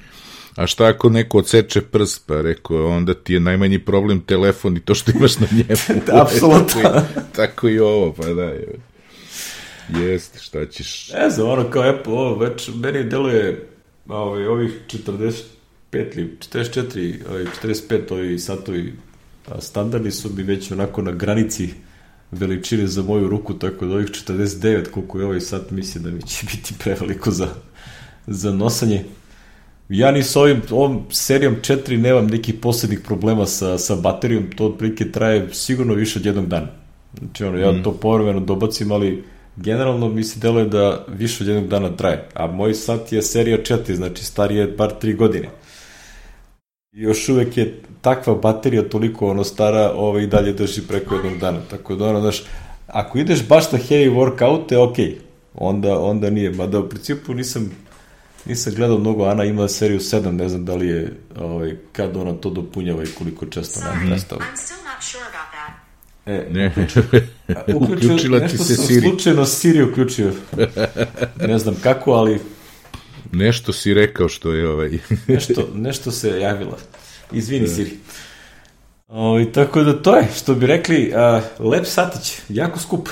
a šta ako neko odseče prst, pa rekao, onda ti je najmanji problem telefon i to što imaš na njemu. Apsolutno. Tako i ovo, pa da, jeste, šta ćeš... Ne znam, ono kao Apple, već meni deluje ovih 45 ili 44, 45 ovi satovi standardni su mi već onako na granici veličine za moju ruku, tako da ovih 49 koliko je ovaj sat mislim da mi će biti preveliko za nosanje. Ja ni s ovom serijom 4 nemam nekih posebnih problema sa baterijom, to otprilike traje sigurno više od jednog dana. Znači ja to povremeno dobacim, ali generalno mi se deluje da više od jednog dana traje, a moj sat je serija 4, znači star je bar 3 godine. I još uvek je takva baterija toliko stara, i dalje drži preko jednog dana, tako da znaš, ako ideš baš na heavy workout, ok, onda nije, mada u principu nisam gledao mnogo, Ana ima seriju 7, ne znam da li je, kad ona to dopunjava i koliko često nam prestao. Uključila ti se Siri. Slučajno Siri uključio. Ne znam kako, ali... Nešto si rekao što je nešto se javila. Izvini Siri. Tako da to je, što bi rekli, lep satić, jako skup.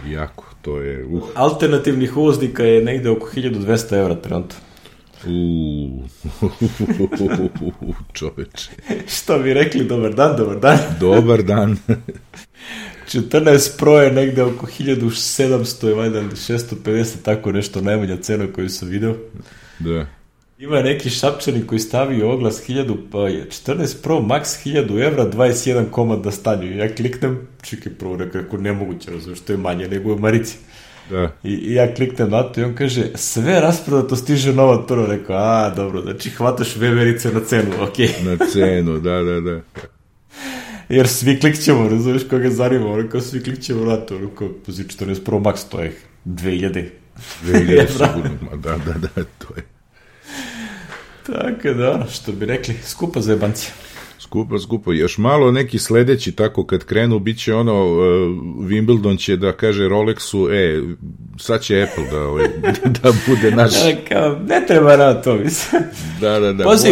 jako, to je... Alternativnih uvoznika je negde oko 1200 evra trenutno. Čoveče. Što bi rekli, dobar dan. Dobar dan. 14 Pro je negde oko 1700, je valjda 650, tako nešto, najmanja cena koju sam video. Da. Ima neki Šapčanin koji stavio oglas 14 Pro Max 1000 evra, 21 komad da stanju. Ja kliknem, čekaj prvo, nekako nemoguće, razumiješ, što je manje nego u Marici. Da. I ja kliknem na to i on kaže, sve rasprodato, stiže nova prvo. Rekao, dobro, znači hvataš veverice na cenu, okej. Na cenu, da. Jer svi klikćemo, razumiješ koga zanima, rekao, svi klikćemo na to, rekao, 14 Pro Max, to je 2000 sigurno, da, to je. Tako da, što bi rekli, skupa za jebancija. Skupo. Još malo neki sledeći, tako kad krenu, bit će Wimbledon će da kaže Rolexu, sad će Apple da bude naš. Ne treba na to, mislim. Da. Pazi,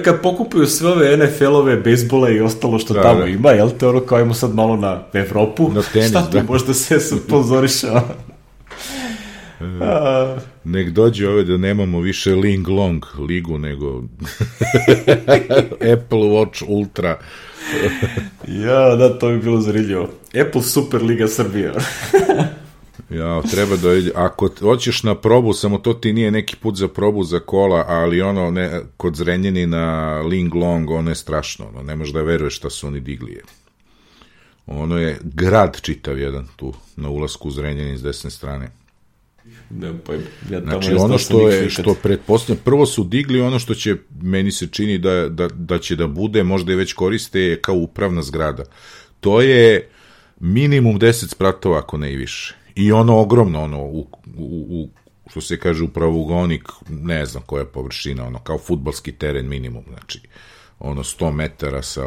kad pokupuju sve ove NFL-ove, bejsbole i ostalo što tamo ima, jel te kao imamo sad malo na Evropu, na tenis, šta tu možda se sponzoriša? Nek dođe da nemamo više Ling Long ligu, nego Apple Watch Ultra. Da, to bi bilo zanimljivo. Apple Super Liga Srbija. Treba ako hoćeš na probu, samo to ti nije neki put za probu za kola, ali kod Zrenjanina Ling Long, ono je strašno, ne možeš da veruješ šta su oni digli. Ono je grad čitav jedan tu, na ulasku u Zrenjanin s desne strane. Znači ono što pretpostavljam, prvo su digli ono što će, meni se čini da će da bude, možda i već koriste kao upravna zgrada. To je minimum 10 spratova, ako ne i više. I ono ogromno, što se kaže upravougonik, ne znam koja je površina, kao fudbalski teren minimum, znači 100 metara sa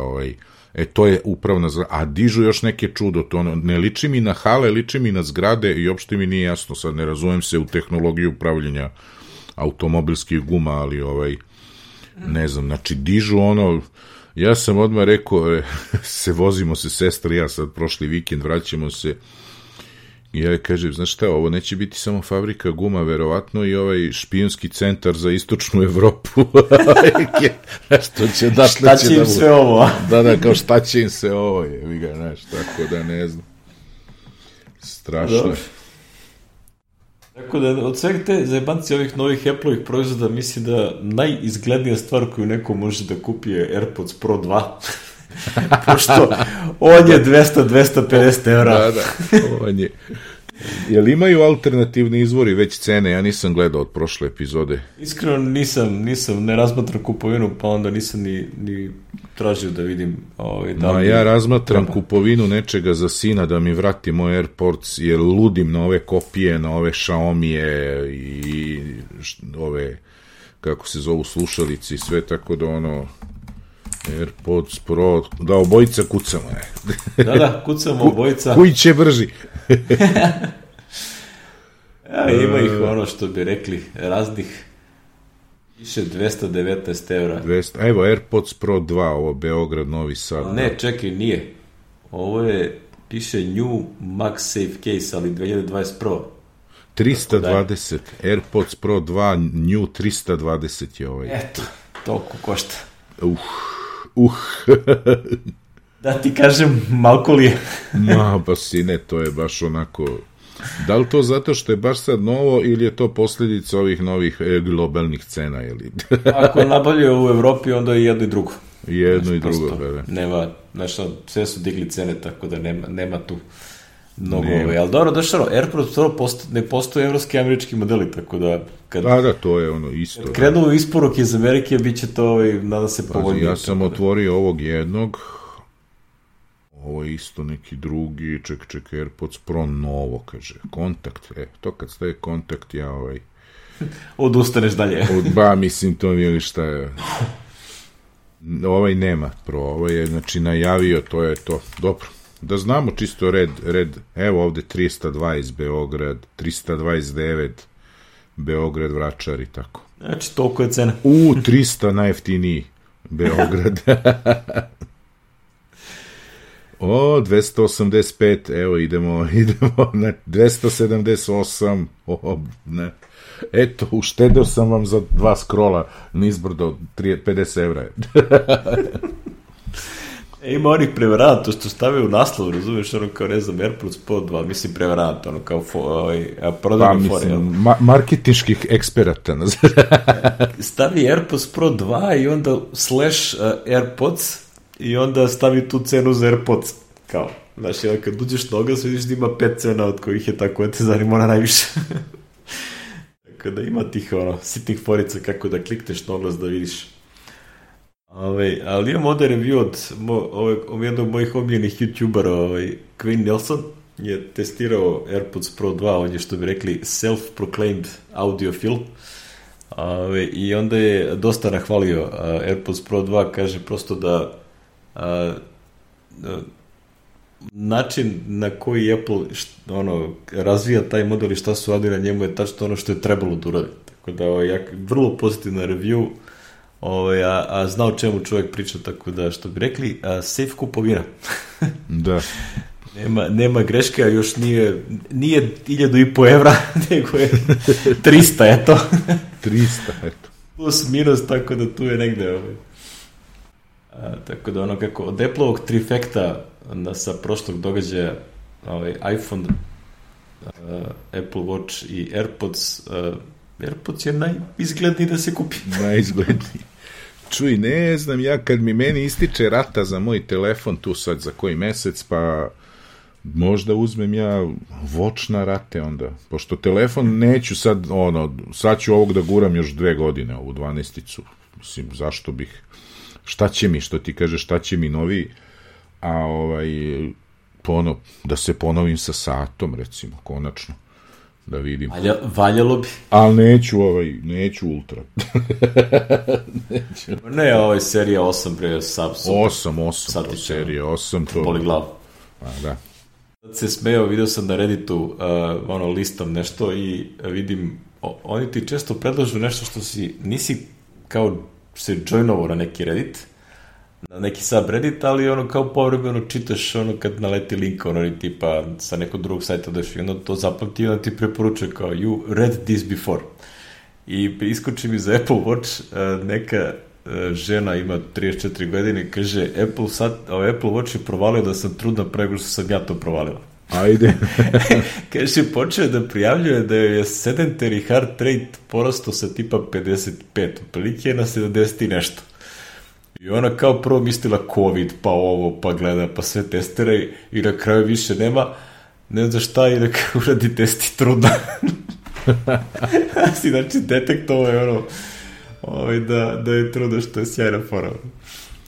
to je upravna zgrada, a dižu još neke čudo, to ne liči mi na hale, liči mi na zgrade i uopšte mi nije jasno, sad ne razumem se u tehnologiju upravljanja automobilskih guma, ali ne znam, znači dižu ja sam odmah rekao, vozimo se sestra i ja sad prošli vikend, vraćamo se i ja kažem, znaš šta, ovo neće biti samo fabrika guma, verovatno i špijunski centar za istočnu Evropu. Šta će im sve ovo? Da, kao šta će im se ovo, znaš, tako da ne znam. Strašno je. Tako da, od svega te zajebanci ovih novih Apple-ovih proizvoda, mislim da najizglednija stvar koju neko može da kupi je AirPods Pro 2. Pošto on je 200-250 evra. Da, on je. Jel imaju alternativni izvori već cene? Ja nisam gledao od prošle epizode. Iskreno nisam, ne razmatram kupovinu, pa onda nisam ni tražio da vidim. Ja razmatram kupovinu nečega za sina da mi vrati moj AirPods, jer ludim na ove kopije, na ove Xiaomije i ove, kako se zovu, slušalici i sve, tako da AirPods Pro, da obojica kucamo. Da, kucamo obojica. Koji će brži? Ima ih što bi rekli, raznih, piše 219 evra. Evo, AirPods Pro 2, ovo Beograd, Novi Sad. Ne, čekaj, nije. Ovo piše New MagSafe Case, ali 2020 Pro. 320, AirPods Pro 2, New 320 je ovaj. Eto, toliko košta. Da ti kažem, malko li je. Pa sine, to je baš onako. Da li to zato što je baš sad novo ili je to posljedica ovih novih globalnih cena? Ako nabavljaju u Evropi, onda je jedno i drugo. Jedno i drugo, da. Nema, sve su digli cene, tako da nema tu mnogo. Ali dobro, došlo, AirPods Pro ne postoje evropski i američki modeli, tako da Da, to je isto. Kad krenu isporuke iz Amerike, bit će to, nada se povoljnije. Ja sam otvorio ovog jednog, ovo je isto neki drugi, ček, AirPods Pro novo, kaže, kontakt, to kad staje kontakt, ja odustaneš dalje. Mislim, to nije li šta je. Ovaj nema Pro, ovaj je, znači, najavio, to je to, dobro. Da znamo čisto red, evo ovde 320 Beograd, 329 Beograd, Vračar i tako. Znači, toliko je cena. 300 najjeftiniji Beograd. 285, evo idemo na 278, ne. Eto, uštedeo sam vam za 2 skrola nizbrdo 50 evra. Ima onih prevaranata što stave u naslov, razumiješ, ono kao, ne znam, AirPods Pro 2, mislim prevaranata, ono kao prodajne fore. Marketinških eksperata. Stavi AirPods Pro 2 i onda / AirPods i onda stavi tu cenu za AirPods, kao. Znaš, kad uđeš na oglas, vidiš da ima 5 cena od kojih je tako, te zanima najviše. Tako da ima tih, sitnih forica kako da klikneš na oglas da vidiš. Ali imam ovdje review od jednog mojih omiljenih youtubera, Quinn Nelson, je testirao AirPods Pro 2, on je, što bi rekli, self-proclaimed audiofil. I onda je dosta nahvalio AirPods Pro 2, kaže prosto da način na koji Apple razvija taj model i šta su radili na njemu je tačno ono što je trebalo da uradi. Tako da vrlo pozitivna review, a zna o čemu čovjek priča, tako da, što bi rekli, safe kupovina. Da. Nema greške, a još nije 1.500 evra, nego je 300, eto. 300, eto. Plus minus, tako da tu je negde. Tako da kako od Apple-ovog trifekta sa prošlog događaja, iPhone, Apple Watch i AirPods, AirPods je najizgledniji da se kupi. Najizgledniji. Čuj, ne znam, ja kad meni ističe rata za moj telefon tu sad za koji mesec, pa možda uzmem ja Watch na rate onda, pošto telefon neću sad, sad ću ovog da guram još 2 godine, ovu 12-icu, mislim, zašto bih, šta će mi, što ti kaže, šta će mi novi, a da se ponovim sa satom, recimo, konačno, da vidim. Valjalo bi. Ali neću ultra. Neću. Ne, serija 8, pre, Samsung. 8, to serija 8, to... Boli glavu. A, da. Sad se smeo, vidio sam na Redditu, listom nešto i vidim, oni ti često predlažu nešto što nisi kao se joinovao na neki Reddit, na neki subreddit, ali kao povremeno čitaš kad naleti link, tipa sa nekog drugog sajta daš i onda to zapamti i onda ti preporučuje kao you read this before. I iskoči mi za Apple Watch, neka žena ima 34 godine, kaže Apple Watch je provalio da sam trudna prego što sam ja to provalila. Ajde. Kaže, počeo da prijavljuje da je sedentary heart rate porastao sa tipa 55, otprilike na 70 i nešto. I ona kao prvo mislila COVID, pa ovo, pa gleda, pa sve testira i na kraju više nema, ne zna šta, i neka uradi testi trudna. Znači, detektovo je da je trudna, što je sjajna fora.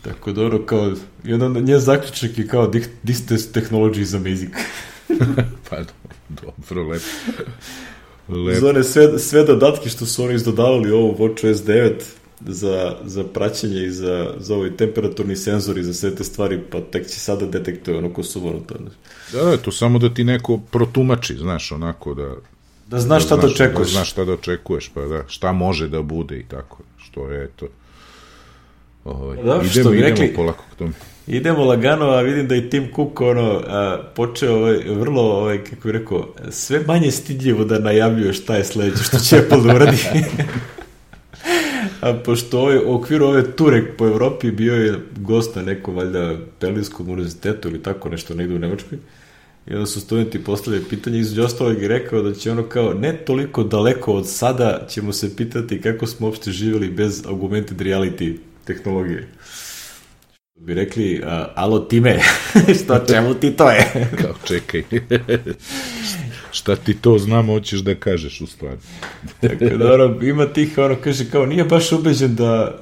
Tako da kao, i onda njen zaključak je kao this technology is amazing. Pa dobro, lepo. Zone sve dodatke što su oni izdodavali ovu WatchOS 9 za praćenje i za ovaj temperaturni senzor i za sve te stvari, pa tek će sada detektuje ko su to. Da, to samo da ti neko protumači, znaš, onako da znaš šta da očekuješ. Da znaš šta da očekuješ, pa da, šta može da bude i tako, što je to. Idemo polako k tome. Idemo lagano, a vidim da i Tim Cook počeo vrlo, kako bih rekao, sve manje stidljivo da najavljuje šta je sledeće, što će Apple da uradi. A pošto u okviru ove ture po Evropi bio je gost na nekom, valjda, Berlinskom univerzitetu ili tako nešto, negde u Nemačkoj, i onda su studenti postavili pitanje, između ostalog je rekao da će ono ne toliko daleko od sada ćemo se pitati kako smo uopšte živjeli bez augmented reality tehnologije. Bi rekli, alo Time, čemu ti to je? Kao, čekaj, šta ti to znamo, hoćeš da kažeš u stvari. Tako da, ima tih, kaže, kao, nije baš ubeđen da,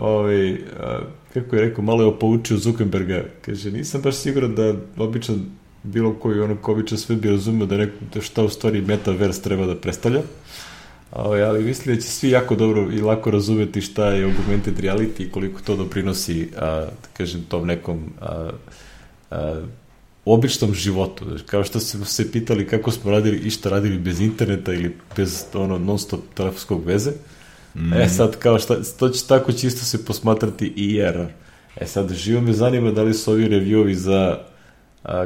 kako je rekao, malo je poučio Zuckerberga, kaže, nisam baš siguran da običan bilo koji ko običan sve bi razumio da šta u stvari metaverse treba da predstavlja. Ali mislim da će svi jako dobro i lako razumeti šta je augmented reality i koliko to doprinosi, kažem, tom nekom običnom životu. Kao što su se pitali kako smo radili i šta radili bez interneta ili bez non-stop telefonskog veze. Sad kao to će tako čisto se posmatrati i IR. Sad živo me zanima da li su ovi reviewovi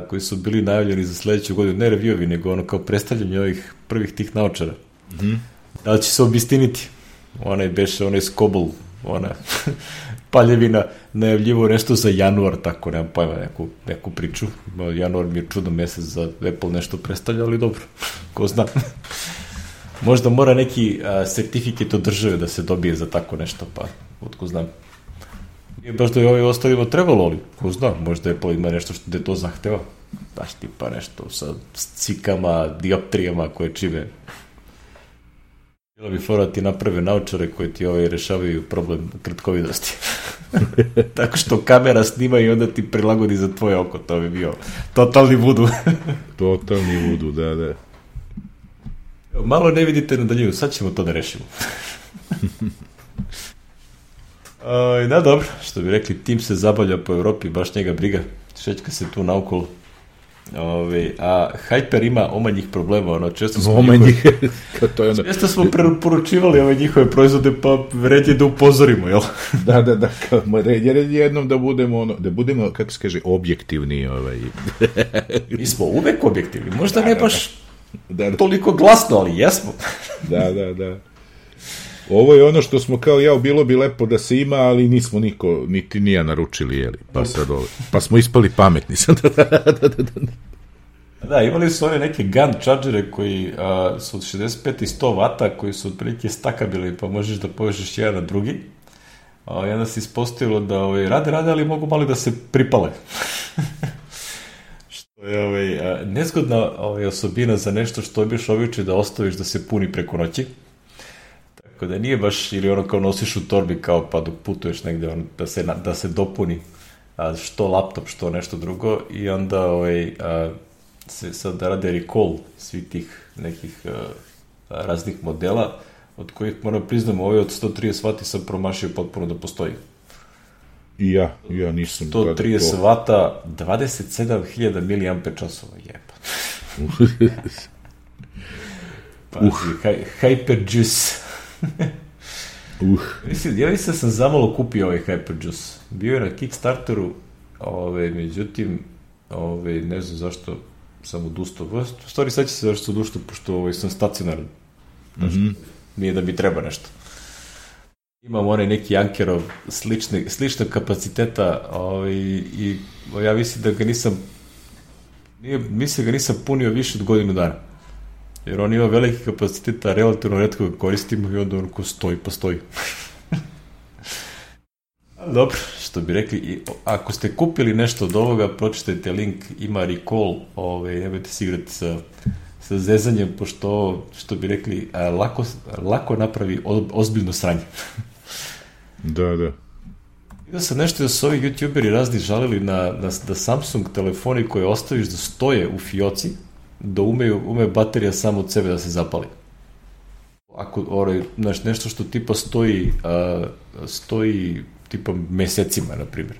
koji su bili najavljeni za sledeću godinu, ne reviewovi, nego kao predstavljanje ovih prvih tih naočara. Da li će se obistiniti? Onaj Skobel, Paljevina najavljivo nešto za januar, tako nemam pojma, neku priču. Januar mi je čudan mesec za Apple nešto predstavlja, ali dobro, ko zna. Možda mora neki sertifikat od države da se dobije za tako nešto, pa otko znam. Nije baš da je ovim ostalima trebalo, ali ko zna, možda Apple ima nešto što to zahteva. Baš tipa nešto sa cikama, dioptrijama koje čime. Bilo bi fora ti naprave naučare koji ti rešavaju problem kratkovidosti. Tako što kamera snima i onda ti prilagodi za tvoje oko, to bi bio totalni vudu. Totalni vudu, da. Malo ne vidite na daljinu, sad ćemo to da rešimo. Da, dobro, što bi rekli, tim se zabavlja po Evropi, baš njega briga, šećka se tu naokolo. A Hyper ima omanjih problema, često smo preporučivali njihove proizvode, pa red je da upozorimo, jel? Da, red je jednom da budemo, kako se kaže, objektivni. Mi smo uvek objektivni, možda ne baš toliko glasno, ali jesmo. Da. Ovo je ono što smo kao bilo bi lepo da se ima, ali nismo niti nija naručili, jeli, pa smo ispali pametni. Da, imali su one neke GAN chargere koji su od 65 i 100 vata, koji su otprilike stakabili, pa možeš da povežeš jedan na drugi. I onda se ispostavilo da rade, ali mogu malo da se pripale. Što je nezgodna osobina za nešto što biš običaj da ostaviš da se puni preko noći. Tako da nije baš, ili ono kao nosiš u torbi kao pa dok putuješ negde da se dopuni što laptop, što nešto drugo, i onda se sad rade recall svih tih nekih raznih modela, od kojih moram priznamo od 130 vati sam promašio potpuno da postoji. I ja nisam 130 vata, 27.000 mAh, jepa. Hyperjuice. Ja mislim da sam zamalo kupio Hyperjuice. Bio je na Kickstarteru, međutim, ne znam zašto sam odustao. U stvari sad će se zašto sam odustao, pošto sam stacionaran. Nije da mi treba nešto. Imam onaj neki Ankerov sličnog kapaciteta i ja mislim da ga nisam punio više od godinu dana. Jer on ima veliki kapacitet, a relativno retko ga koristimo i onda on ko postoji. Dobro, što bi rekli, ako ste kupili nešto od ovoga, pročitajte link, ima recall, nemojte se igrati sa zezanjem, pošto, što bi rekli, lako napravi ozbiljno sranje. Da. Vidio sam nešto da su ovi youtuberi razni žalili da Samsung telefoni koje ostaviš da stoje u fioci, da ume baterija samo od sebe da se zapali. Ako nešto što tipa stoji tipa mesecima, na primjer.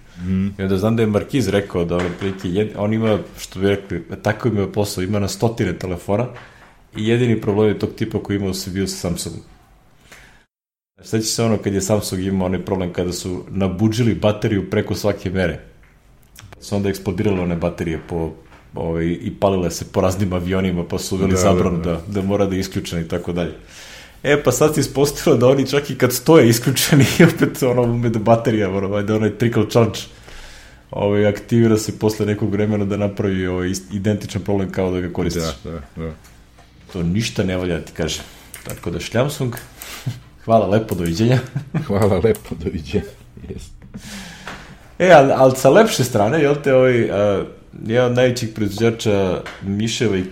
I onda znam da je Markiz rekao da on ima, što bi rekli, tako ima posao, ima na 100 telefona i jedini problem je tog tipa koji imao se bio sa Samsungom. Sveći se kad je Samsung imao onaj problem kada su nabuđili bateriju preko svake mere. Pa su onda eksplodirale one baterije i palile se po raznim avionima, pa su uveli zabranu da mora da je isključena i tako dalje. Pa sad se ispostavilo da oni čak i kad stoje isključeni i opet ume da baterija, da onaj trickle charge aktivira se posle nekog vremena da napravi identičan problem kao da ga koristiš. Da. To ništa ne valja da ti kažem. Tako da Samsung, hvala lepo, doviđenja. Hvala lepo, doviđenja. Ali sa lepše strane, jel te jedan od najvećih proizvođača miševa i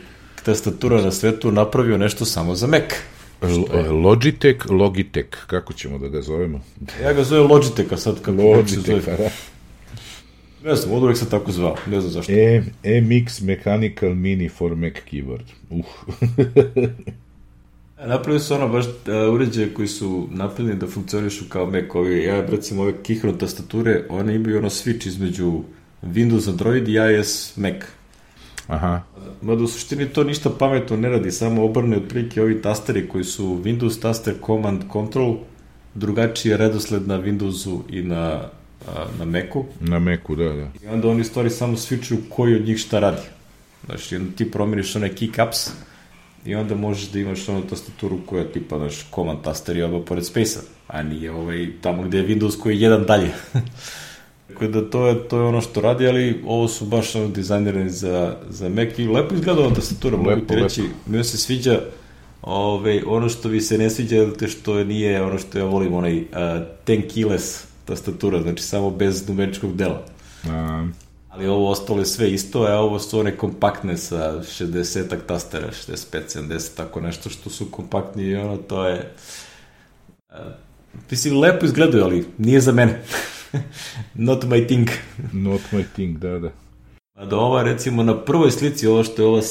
tastatura na svetu napravio nešto samo za Mac. Logitech, kako ćemo da ga zovemo? Ja ga zovem Logitech, a sad kako se zove. Ne znam, od uvek sam tako zvao, ne znam zašto. MX Mechanical Mini for Mac Keyboard. Napravili su baš uređaje koji su napravljeni da funkcionišu kao Mac. Recimo ove Keychron tastature, one imaju switch između Windows, Android i iOS Mac. Aha. Mada u suštini to ništa pametno ne radi, samo obrne otprilike ovi tasteri koji su Windows taster, Command, Control, drugačiji je redosled na Windowsu i na Macu. Na Macu, da. I onda oni stvari samo switchuju koji od njih šta radi. Znači, ti promeniš one keycaps i onda možeš da imaš onu tastaturu koja je tipa naš command taster i oba pored space-a, a nije tamo gde je Windows koji je jedan dalje. Tako da to je ono što radi, ali ovo su baš dizajnirani za Mac i lepo izgleda ova tastatura, mogu ti reći, mi se sviđa. Ono što vi se ne sviđa je što nije ono što ja volim, onaj 10 keyless tastatura, znači samo bez numeričkog dela. Ali ovo ostalo je sve isto, a ovo su one kompaktne sa 60-ak tastera, 65, 70, tako nešto što su kompaktni i ono, to je... Mislim, lepo izgledaju, ali nije za mene. Not my thing. Not my thing, da. Da ova, recimo, na prvoj slici, ovo što je ova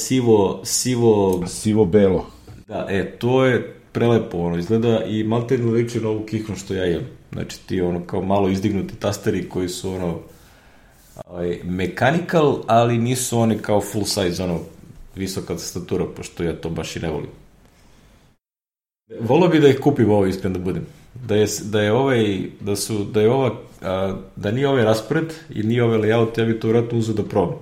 sivo-belo. Da, to je prelepo, ono, izgleda i maltene liči na ovu kihnu što ja imam. Znači, ti, ono, kao malo izdignuti tasteri koji su, ono, mechanical, ali nisu oni kao full size, ono, visoka tastatura, pošto ja to baš i ne volim. Volio bi da ih kupim ovo, iskren da budem. Da nije ovaj raspored i nije ovaj layout, ja bi to vratno uzeo da probam.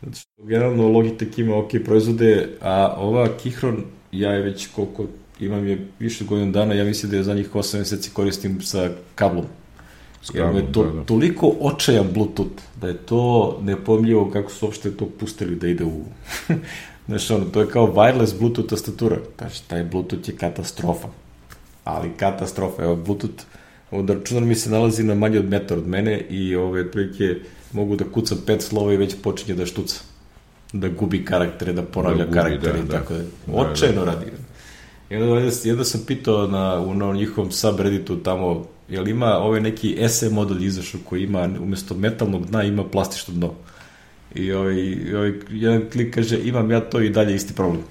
Znači, generalno Logitech ima ok proizvode, a ova Kihron, ja je već koliko imam je više godina dana, ja mislim da je za njih 8 meseci koristim sa kablom. Jer je to toliko očajan Bluetooth, da je to nepojmljivo kako su uopšte to pustili da ide u... Znaš, ono, to je kao wireless Bluetooth tastatura. Znači, taj Bluetooth je katastrofa. Ali katastrofa. Evo, Bluetooth, onda računar mi se nalazi na manje od metar od mene i otprilike mogu da kucam 5 slova i već počinje da štuca. Da gubi karaktere, da ponavlja karaktere i tako da. Očajno radi. Jedno sam pitao na njihovom subredditu tamo, jel ima neki SE model izašao koji ima, umjesto metalnog dna, ima plastično dno. I jedan klik kaže, imam ja to i dalje isti problem.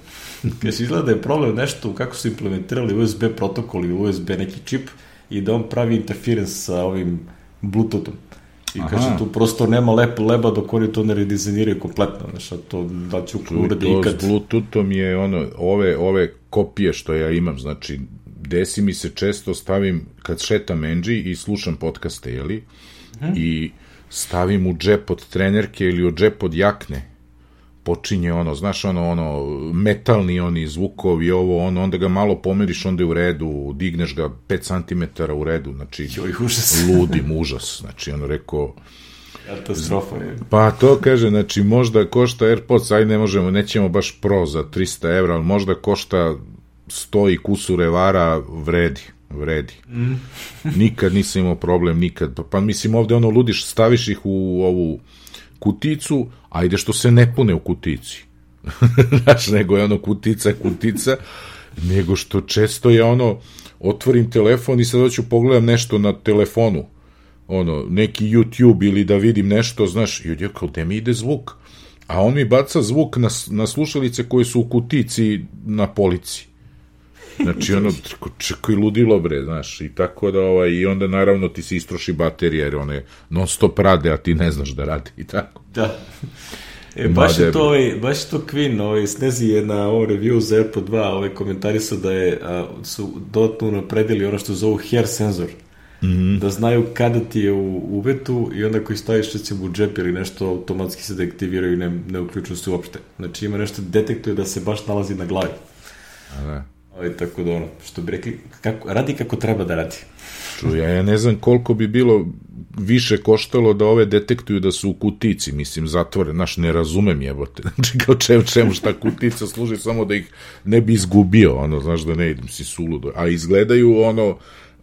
Kaže, izgleda da je problem nešto kako su implementirali USB protokol i USB neki čip i da on pravi interference sa ovim Bluetoothom. I kaže, tu prosto nema leba dok oni to ne redizajniraju kompletno. Znaš, a to da ću uradi ikad. To s Bluetoothom je ove kopije što ja imam, znači, desi mi se često stavim, kad šetam Enđi i slušam podcaste, jeli? I stavim u džep od trenerke ili u džep od jakne, počinje znaš, metalni oni zvukovi, onda ga malo pomeriš, onda je u redu, digneš ga 5 cm u redu, znači, ludim, užas, znači, rekao... Katastrofa je. Pa to kaže, znači, možda košta AirPods, nećemo baš Pro za 300 evra, ali možda košta 100 i kusur evara, vredi. Nikad nisam imao problem, nikad. Pa mislim, ovde ludiš, staviš ih u ovu kuticu, ajde što se ne pune u kutici. Znaš, nego je kutica, nego što često je otvorim telefon i sad hoću pogledam nešto na telefonu, neki YouTube ili da vidim nešto, znaš, i odjel kao, gde mi ide zvuk? A on mi baca zvuk na slušalice koje su u kutici na polici. Znači, čekaj, ludilo, bre, znaš, i tako da, i onda, naravno, ti se istroši baterija, jer one non stop rade, a ti ne znaš da radi, i tako. Da. Baš je to Queen, Snezi je na ovom review za AirPod 2, komentari su da su dodatno napredili ono što zovu hair senzor, da znaju kada ti je u uvetu i onda koji staviš recimo u džep ili nešto, automatski se deaktiviraju i ne uključuju se uopšte. Znači, ima nešto detektuje da se baš nalazi na glavi. Tako da što bi rekli, radi kako treba da radi. Ja ne znam koliko bi bilo više koštalo da ove detektuju da su u kutici, mislim, zatvore, znaš, ne razumem jebote, znači kao čemu šta kutica služi, samo da ih ne bi izgubio, znaš, da ne idem si suludo, a izgledaju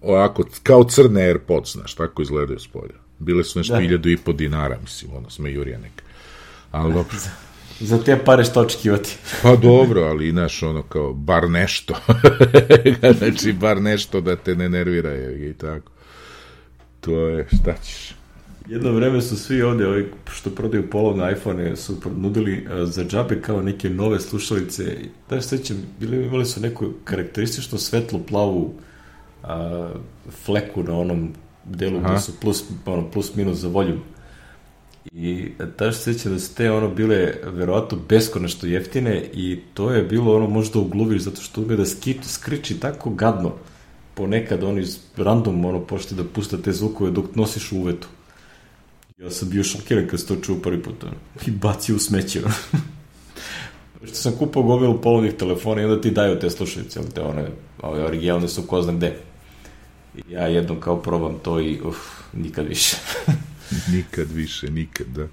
ovako, kao crne AirPods, znaš, tako izgledaju s polja. Bile su nešto 1.500 dinara, mislim, smejurija neka, ali dobro. Za te pare što očekivati. Pa dobro, ali znaš, kao, bar nešto. Znači, bar nešto da te ne nervira i tako. To je, šta ćeš? Jedno vreme su svi ovde, ovi što prodaju polovne iPhone, su nudili za džabe kao neke nove slušalice. Da se sećam, imali su neku karakteristično svetlo plavu fleku na onom delu gde su plus minus za voljum. I tada se sjećam da su te bile verovatno beskonačno jeftine i to je bilo možda ugluviš zato što ume da skriči tako gadno ponekad random počne da pušta te zvukove dok nosiš u uvetu. Ja sam bio šokiran kad se to čuo prvi put i bacio u smeće. Što sam kupao gomilu polovnih telefona i onda ti daju te slušalice, te ove originalne su ko zna gde. Ja jednom kao probam to i nikad više. nikad, da.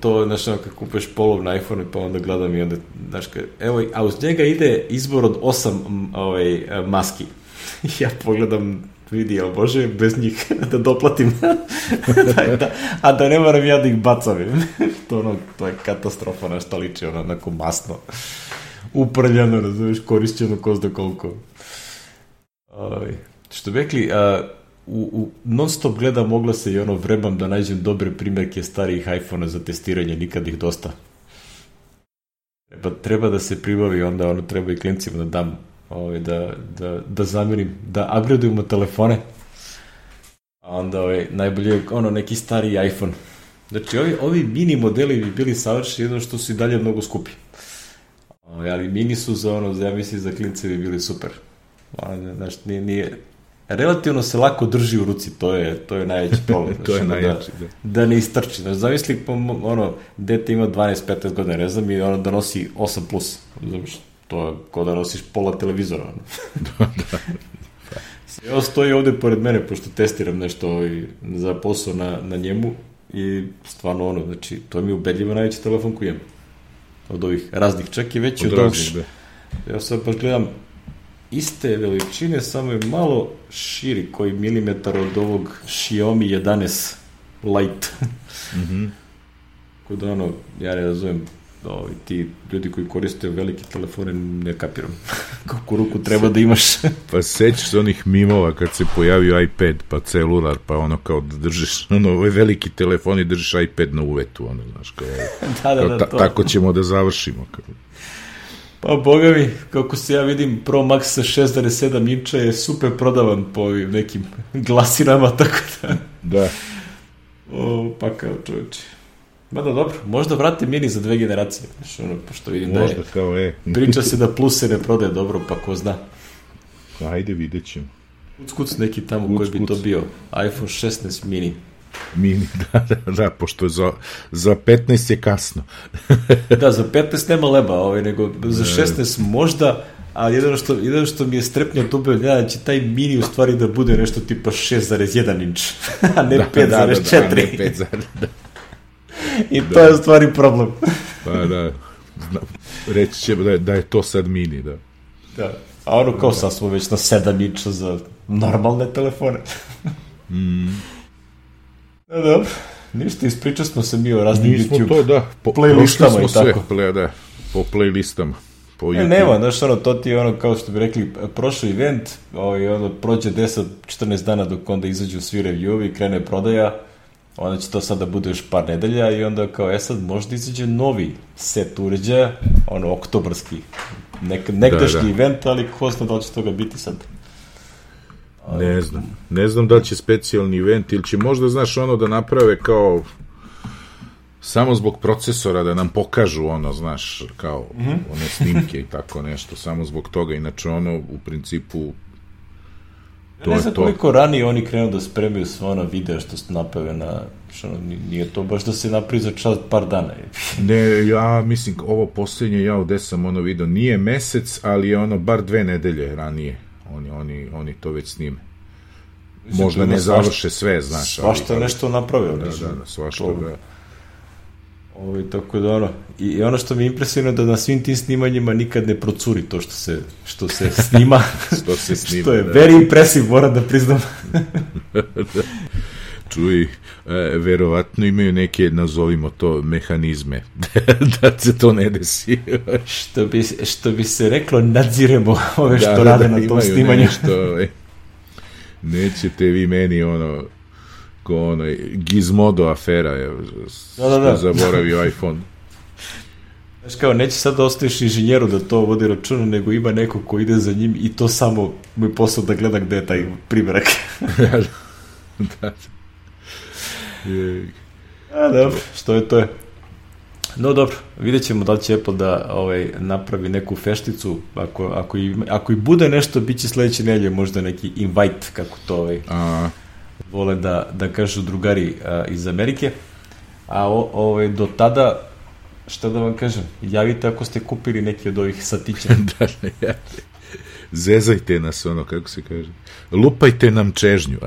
To, znaš, kad kupeš polovni iPhone pa onda gledam i onda, znaš, evo, a uz njega ide izbor od 8 maski. Ja pogledam, vidi, jel može bez njih da doplatim, a da ne moram ja da ih bacam. To je katastrofa, na šta liči, onako masno, uprljano, razumiješ, korišćeno ko zna koliko. Što bi rekli, u non-stop gledam oglase i vrebam da nađem dobre primjerke starijih iPhone-a za testiranje, nikad ih dosta. Treba da se pribavi, onda treba i klincima da dam, da zamenim, da upgradeujemo telefone, a onda najbolje neki stariji iPhone. Znači, ovi mini modeli bi bili savršeni, jedno što su i dalje mnogo skupi. Ali mini su ja mislim, za klince bi bili super. Znači, nije... Relativno se lako drži u ruci, to je najveći problem. To je najveći, da ne istrči. Znači, zamisli, dete ima 12-15 godina, ne znam, i da nosi 8+. Znaš, to je kao da nosiš pola televizora. Da. Evo stoji ovde pored mene, pošto testiram nešto za posao na njemu i stvarno znači, to mi je ubedljivo najveći telefon koji imam. Od ovih raznih, čak i veći od ovih. Ja sad baš gledam iste veličine, samo je malo širi, koji milimetar od ovog Xiaomi 11 Lite. Kod ja ne razumijem, ti ljudi koji koriste velike telefone ne kapiram kako ruku treba da imaš. Pa sećaš se onih mimova kad se pojavio iPad, pa celular, pa kao da držiš ovaj veliki telefon i držiš iPad na uvetu, znaš, kao tako ćemo da završimo. Pa boga mi, kako se ja vidim, Pro Max sa 6,7 inča je super prodavan po ovim nekim glasinama, tako da... Da. Pa kao čovječe. Mada dobro, možda vrate mini za 2 generacije, pošto vidim da je... Priča se da Plus se ne prodaje dobro, pa ko zna. Ajde, vidjet ćemo. Kuc neki tamo koji bi to bio. iPhone 16 mini. Mini, da, pošto za 15 je kasno. Da, za 15 nema leba, nego za 16 možda, a jedino što mi je strepnja dube, da će taj mini u stvari da bude nešto tipa 6,1 inč, a ne 5,4. Ne 5,4. I to je u stvari problem. Pa da, reći će da je to sad mini, da. Da, a kao sad smo već na 7 inča za normalne telefone. Da, dobro, ništa, ispričali smo se mi o raznim YouTube playlistama i tako. Po playlistama. Nema, znaš, to ti je kao što bi rekli, prošao event, prođe 10-14 dana dok onda izađu svi review-ovi, krene prodaja, onda će to sada bude još par nedelja i onda kao, sad možda izađe novi set uređaja, oktobarski, nekdašnji event, ali ko zna da li će toga biti sad. Ne znam da li će specijalni event ili će možda, znaš, da naprave kao samo zbog procesora da nam pokažu znaš, kao one snimke i tako nešto, samo zbog toga, inače u principu to je to. Ne znam koliko ranije oni krenu da spremaju sva videa što se naprave nije to baš da se napravi za čas par dana. Ne, ja mislim, ovo posljednje, gde sam video, nije mesec, ali je bar 2 nedelje ranije. Oni to već snime. Možda ne završe sve, znaš. Svašta nešto napravio. Da, svašta, da. Tako da i ono što mi je impresivno da na svim tim snimanjima nikad ne procuri to što se snima. Što je very impressive, moram da priznam. Čuj, verovatno imaju neke, nazovimo to, mehanizme da se to ne desi. Što bi se reklo, nadziremo ove što rade na tom snimanju. Nećete vi meni ko Gizmodo afera što zaboravio iPhone. Znaš kao, neće sad da ostaviš inženjeru da to vodi računa, nego ima neko ko ide za njim i to samo mu je posao da gleda gde je taj primjerak. Da. Dobro, što je to je. No dobro, vidjet ćemo da li će Apple da napravi neku fešticu, ako i bude nešto, bit će sledeće nedelje možda neki invite, kako to vole da kažu drugari iz Amerike, a do tada šta da vam kažem, javite ako ste kupili neki od ovih satića. Da, ja. Zezajte nas, ono, kako se kaže. Lupajte nam čežnju.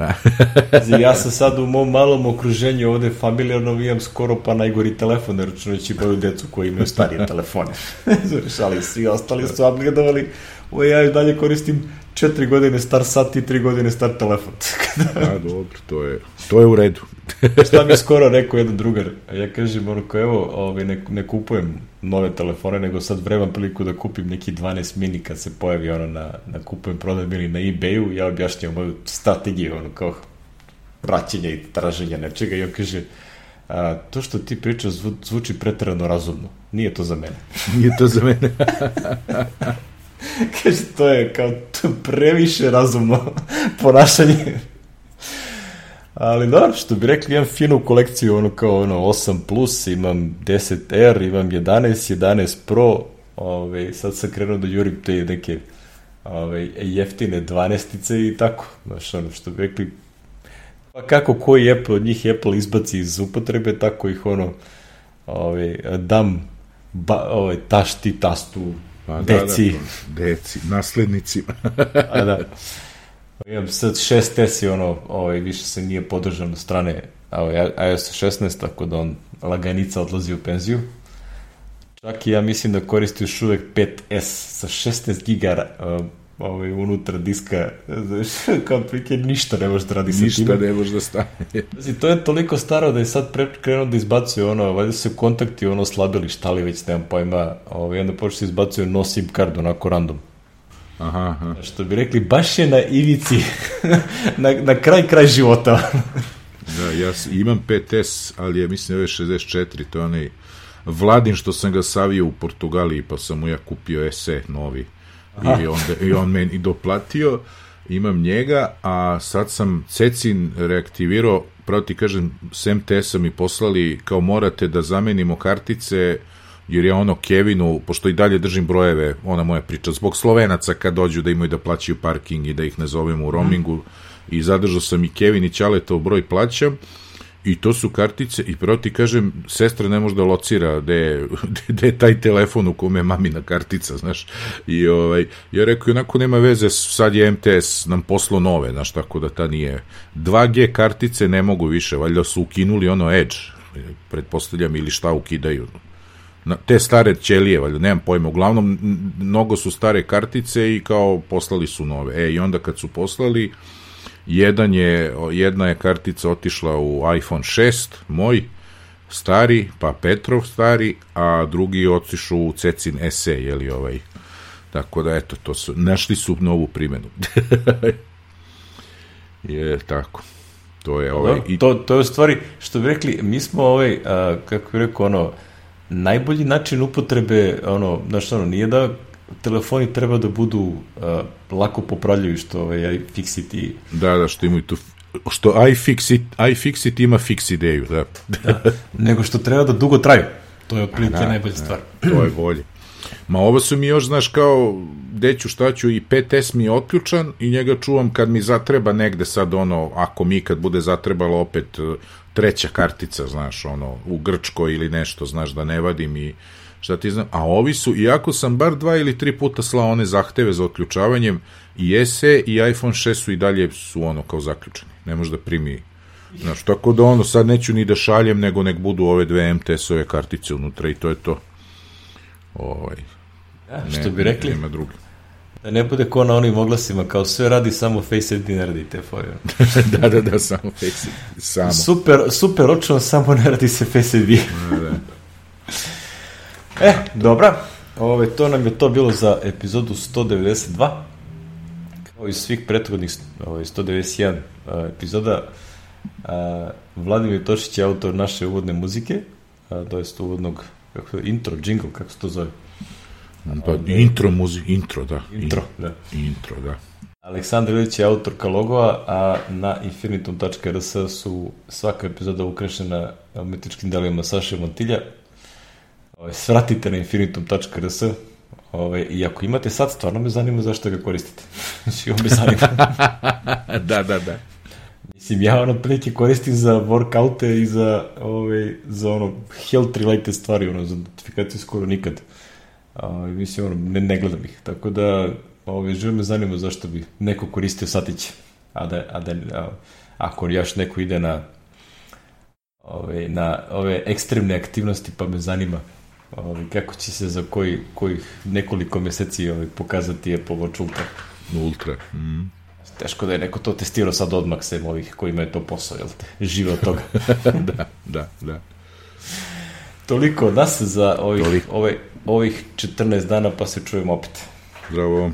Ja sam sad u mom malom okruženju ovde familijarno vijam skoro pa najgori telefon, računajući moju decu koji imaju starije telefone. Ali svi ostali su upgradovali. Ja i dalje koristim 4 godine star sat i 3 godine star telefon. Dobro, to je u redu. Šta mi je skoro rekao jedan drugar, ja kažem, evo, ne kupujem nove telefone, nego sad vremam priliku da kupim neki 12 mini kad se pojavi na kupujem, prodajem ili na eBayu, ja objašnjam moju strategiju, kao praćenja i traženja nečega i on kaže, to što ti pričaš zvuči preterano razumno, nije to za mene. Nije to za mene. Kaže, to je kao previše razumno ponašanje. Ali dobro, što bi rekli, imam finu kolekciju, kao 8+, imam 10R, imam 11 Pro, sad sam krenuo da jurim te neke jeftine 12-ice i tako, znaš, što bi rekli, pa kako koji Apple, od njih Apple izbaci iz upotrebe, tako ih dam tašti, tastu, deci. Deci, naslednicima. A da. Imam sad 6S i više se nije podržan od strane iOS 16, tako da on laganica odlazi u penziju. Čak i ja mislim da koristi još uvek 5S sa 16 giga unutra diska, kao prike ništa ne može da radi sa tim. Ništa ne može da stane. To je toliko staro da je sad krenuo da izbacuje valjda se kontakti slabili, šta li već, nemam pojma, onda počne se izbacuje no SIM card, onako random. Aha. Što bi rekli, baš je na ivici, na kraj života. Da, ja imam 5S, ali je, mislim, ovo je 64, to je onaj Vladin što sam ga savio u Portugaliji, pa sam mu ja kupio SE novi. I on meni doplatio, imam njega, a sad sam Cecin reaktivirao, pravo ti kažem, s MTS-a mi poslali, kao morate da zamenimo kartice, jer je Kevinu, pošto i dalje držim brojeve, ona moja priča, zbog Slovenaca kad dođu da imaju da plaćaju parking i da ih ne zovemo u roamingu, i zadržao sam i Kevin i Ćaletov broj plaćam, i to su kartice, i pravo ti kažem, sestra ne može da locira gde je taj telefon u kome je mamina kartica, znaš, i ja rekao, onako nema veze, sad je MTS nam poslao nove, znaš, tako da ta nije, 2G kartice ne mogu više, valjda su ukinuli Edge, pretpostavljam, ili šta ukidaju, te stare ćelije, valjda, nemam pojma, uglavnom mnogo su stare kartice i kao poslali su nove, i onda kad su poslali, jedna je kartica otišla u iPhone 6, moj stari, pa Petrov stari, a drugi otišao u Cecin SE, tako da, eto, našli su novu primjenu. Je tako. To je to je u stvari, što bi rekli, mi smo kako bi rekao, najbolji način upotrebe, znaš, nije da telefoni treba da budu lako popravljuju, što iFixit. Da, što imaju tu, što iFixit ima fix ideju, da. Nego što treba da dugo traju. To je otprilike najbolja stvar. To je bolje. Ma ovo su mi još, znaš, kao deću šta ću, i 5S mi je otključan i njega čuvam kad mi zatreba negde sad, ako mi kad bude zatrebalo opet treća kartica, znaš, u Grčkoj ili nešto, znaš, da ne vadim i šta ti znam, a ovi su, iako sam bar 2 ili 3 puta slao one zahteve za otključavanjem, i SE i iPhone 6 su i dalje kao zaključeni, ne može da primi, znaš, tako da sad neću ni da šaljem, nego nek budu ove dve MTS-ove kartice unutra i to je to. Što bi rekli, nema drugi. Da ne bude ko na onim oglasima, kao sve radi, samo Face ID ne radi te fore. Da, samo Face ID. Samo. Super očno, samo ne radi se Face ID. Da. Dobra. To nam je to bilo za epizodu 192. Kao i svih prethodnih 191 epizoda. Vladimir Tošić je autor naše uvodne muzike, to jest uvodnog intro, jingle, kako se to zove? Intro, da. Aleksandar Ilić je autorka logova, a na infinitum.rs su svaka epizoda ukrašena umetničkim delima Saše Montilja. Svratite na infinitum.rs i ako imate sad, stvarno me zanima zašto ga koristite. Znači, ovo me zanima. Da. Mislim, ja ono prilike koristim za workoute i za ono health related stvari, ono, za notifikaciju skoro nikad. Mislim, ono, ne gledam ih. Tako da, živo me zanima zašto bi neko koristio satiće. Ako još neko ide na ove ekstremne aktivnosti, pa me zanima kako će se za kojih nekoliko meseci pokazati Apple Watch Ultra. Ultra. Teško da je neko to testirao sad odmah sem ovih kojima je to posao, jel te? Žive od toga. Da. Toliko od nas za ovih 14 dana, pa se čujemo opet. Zdravo.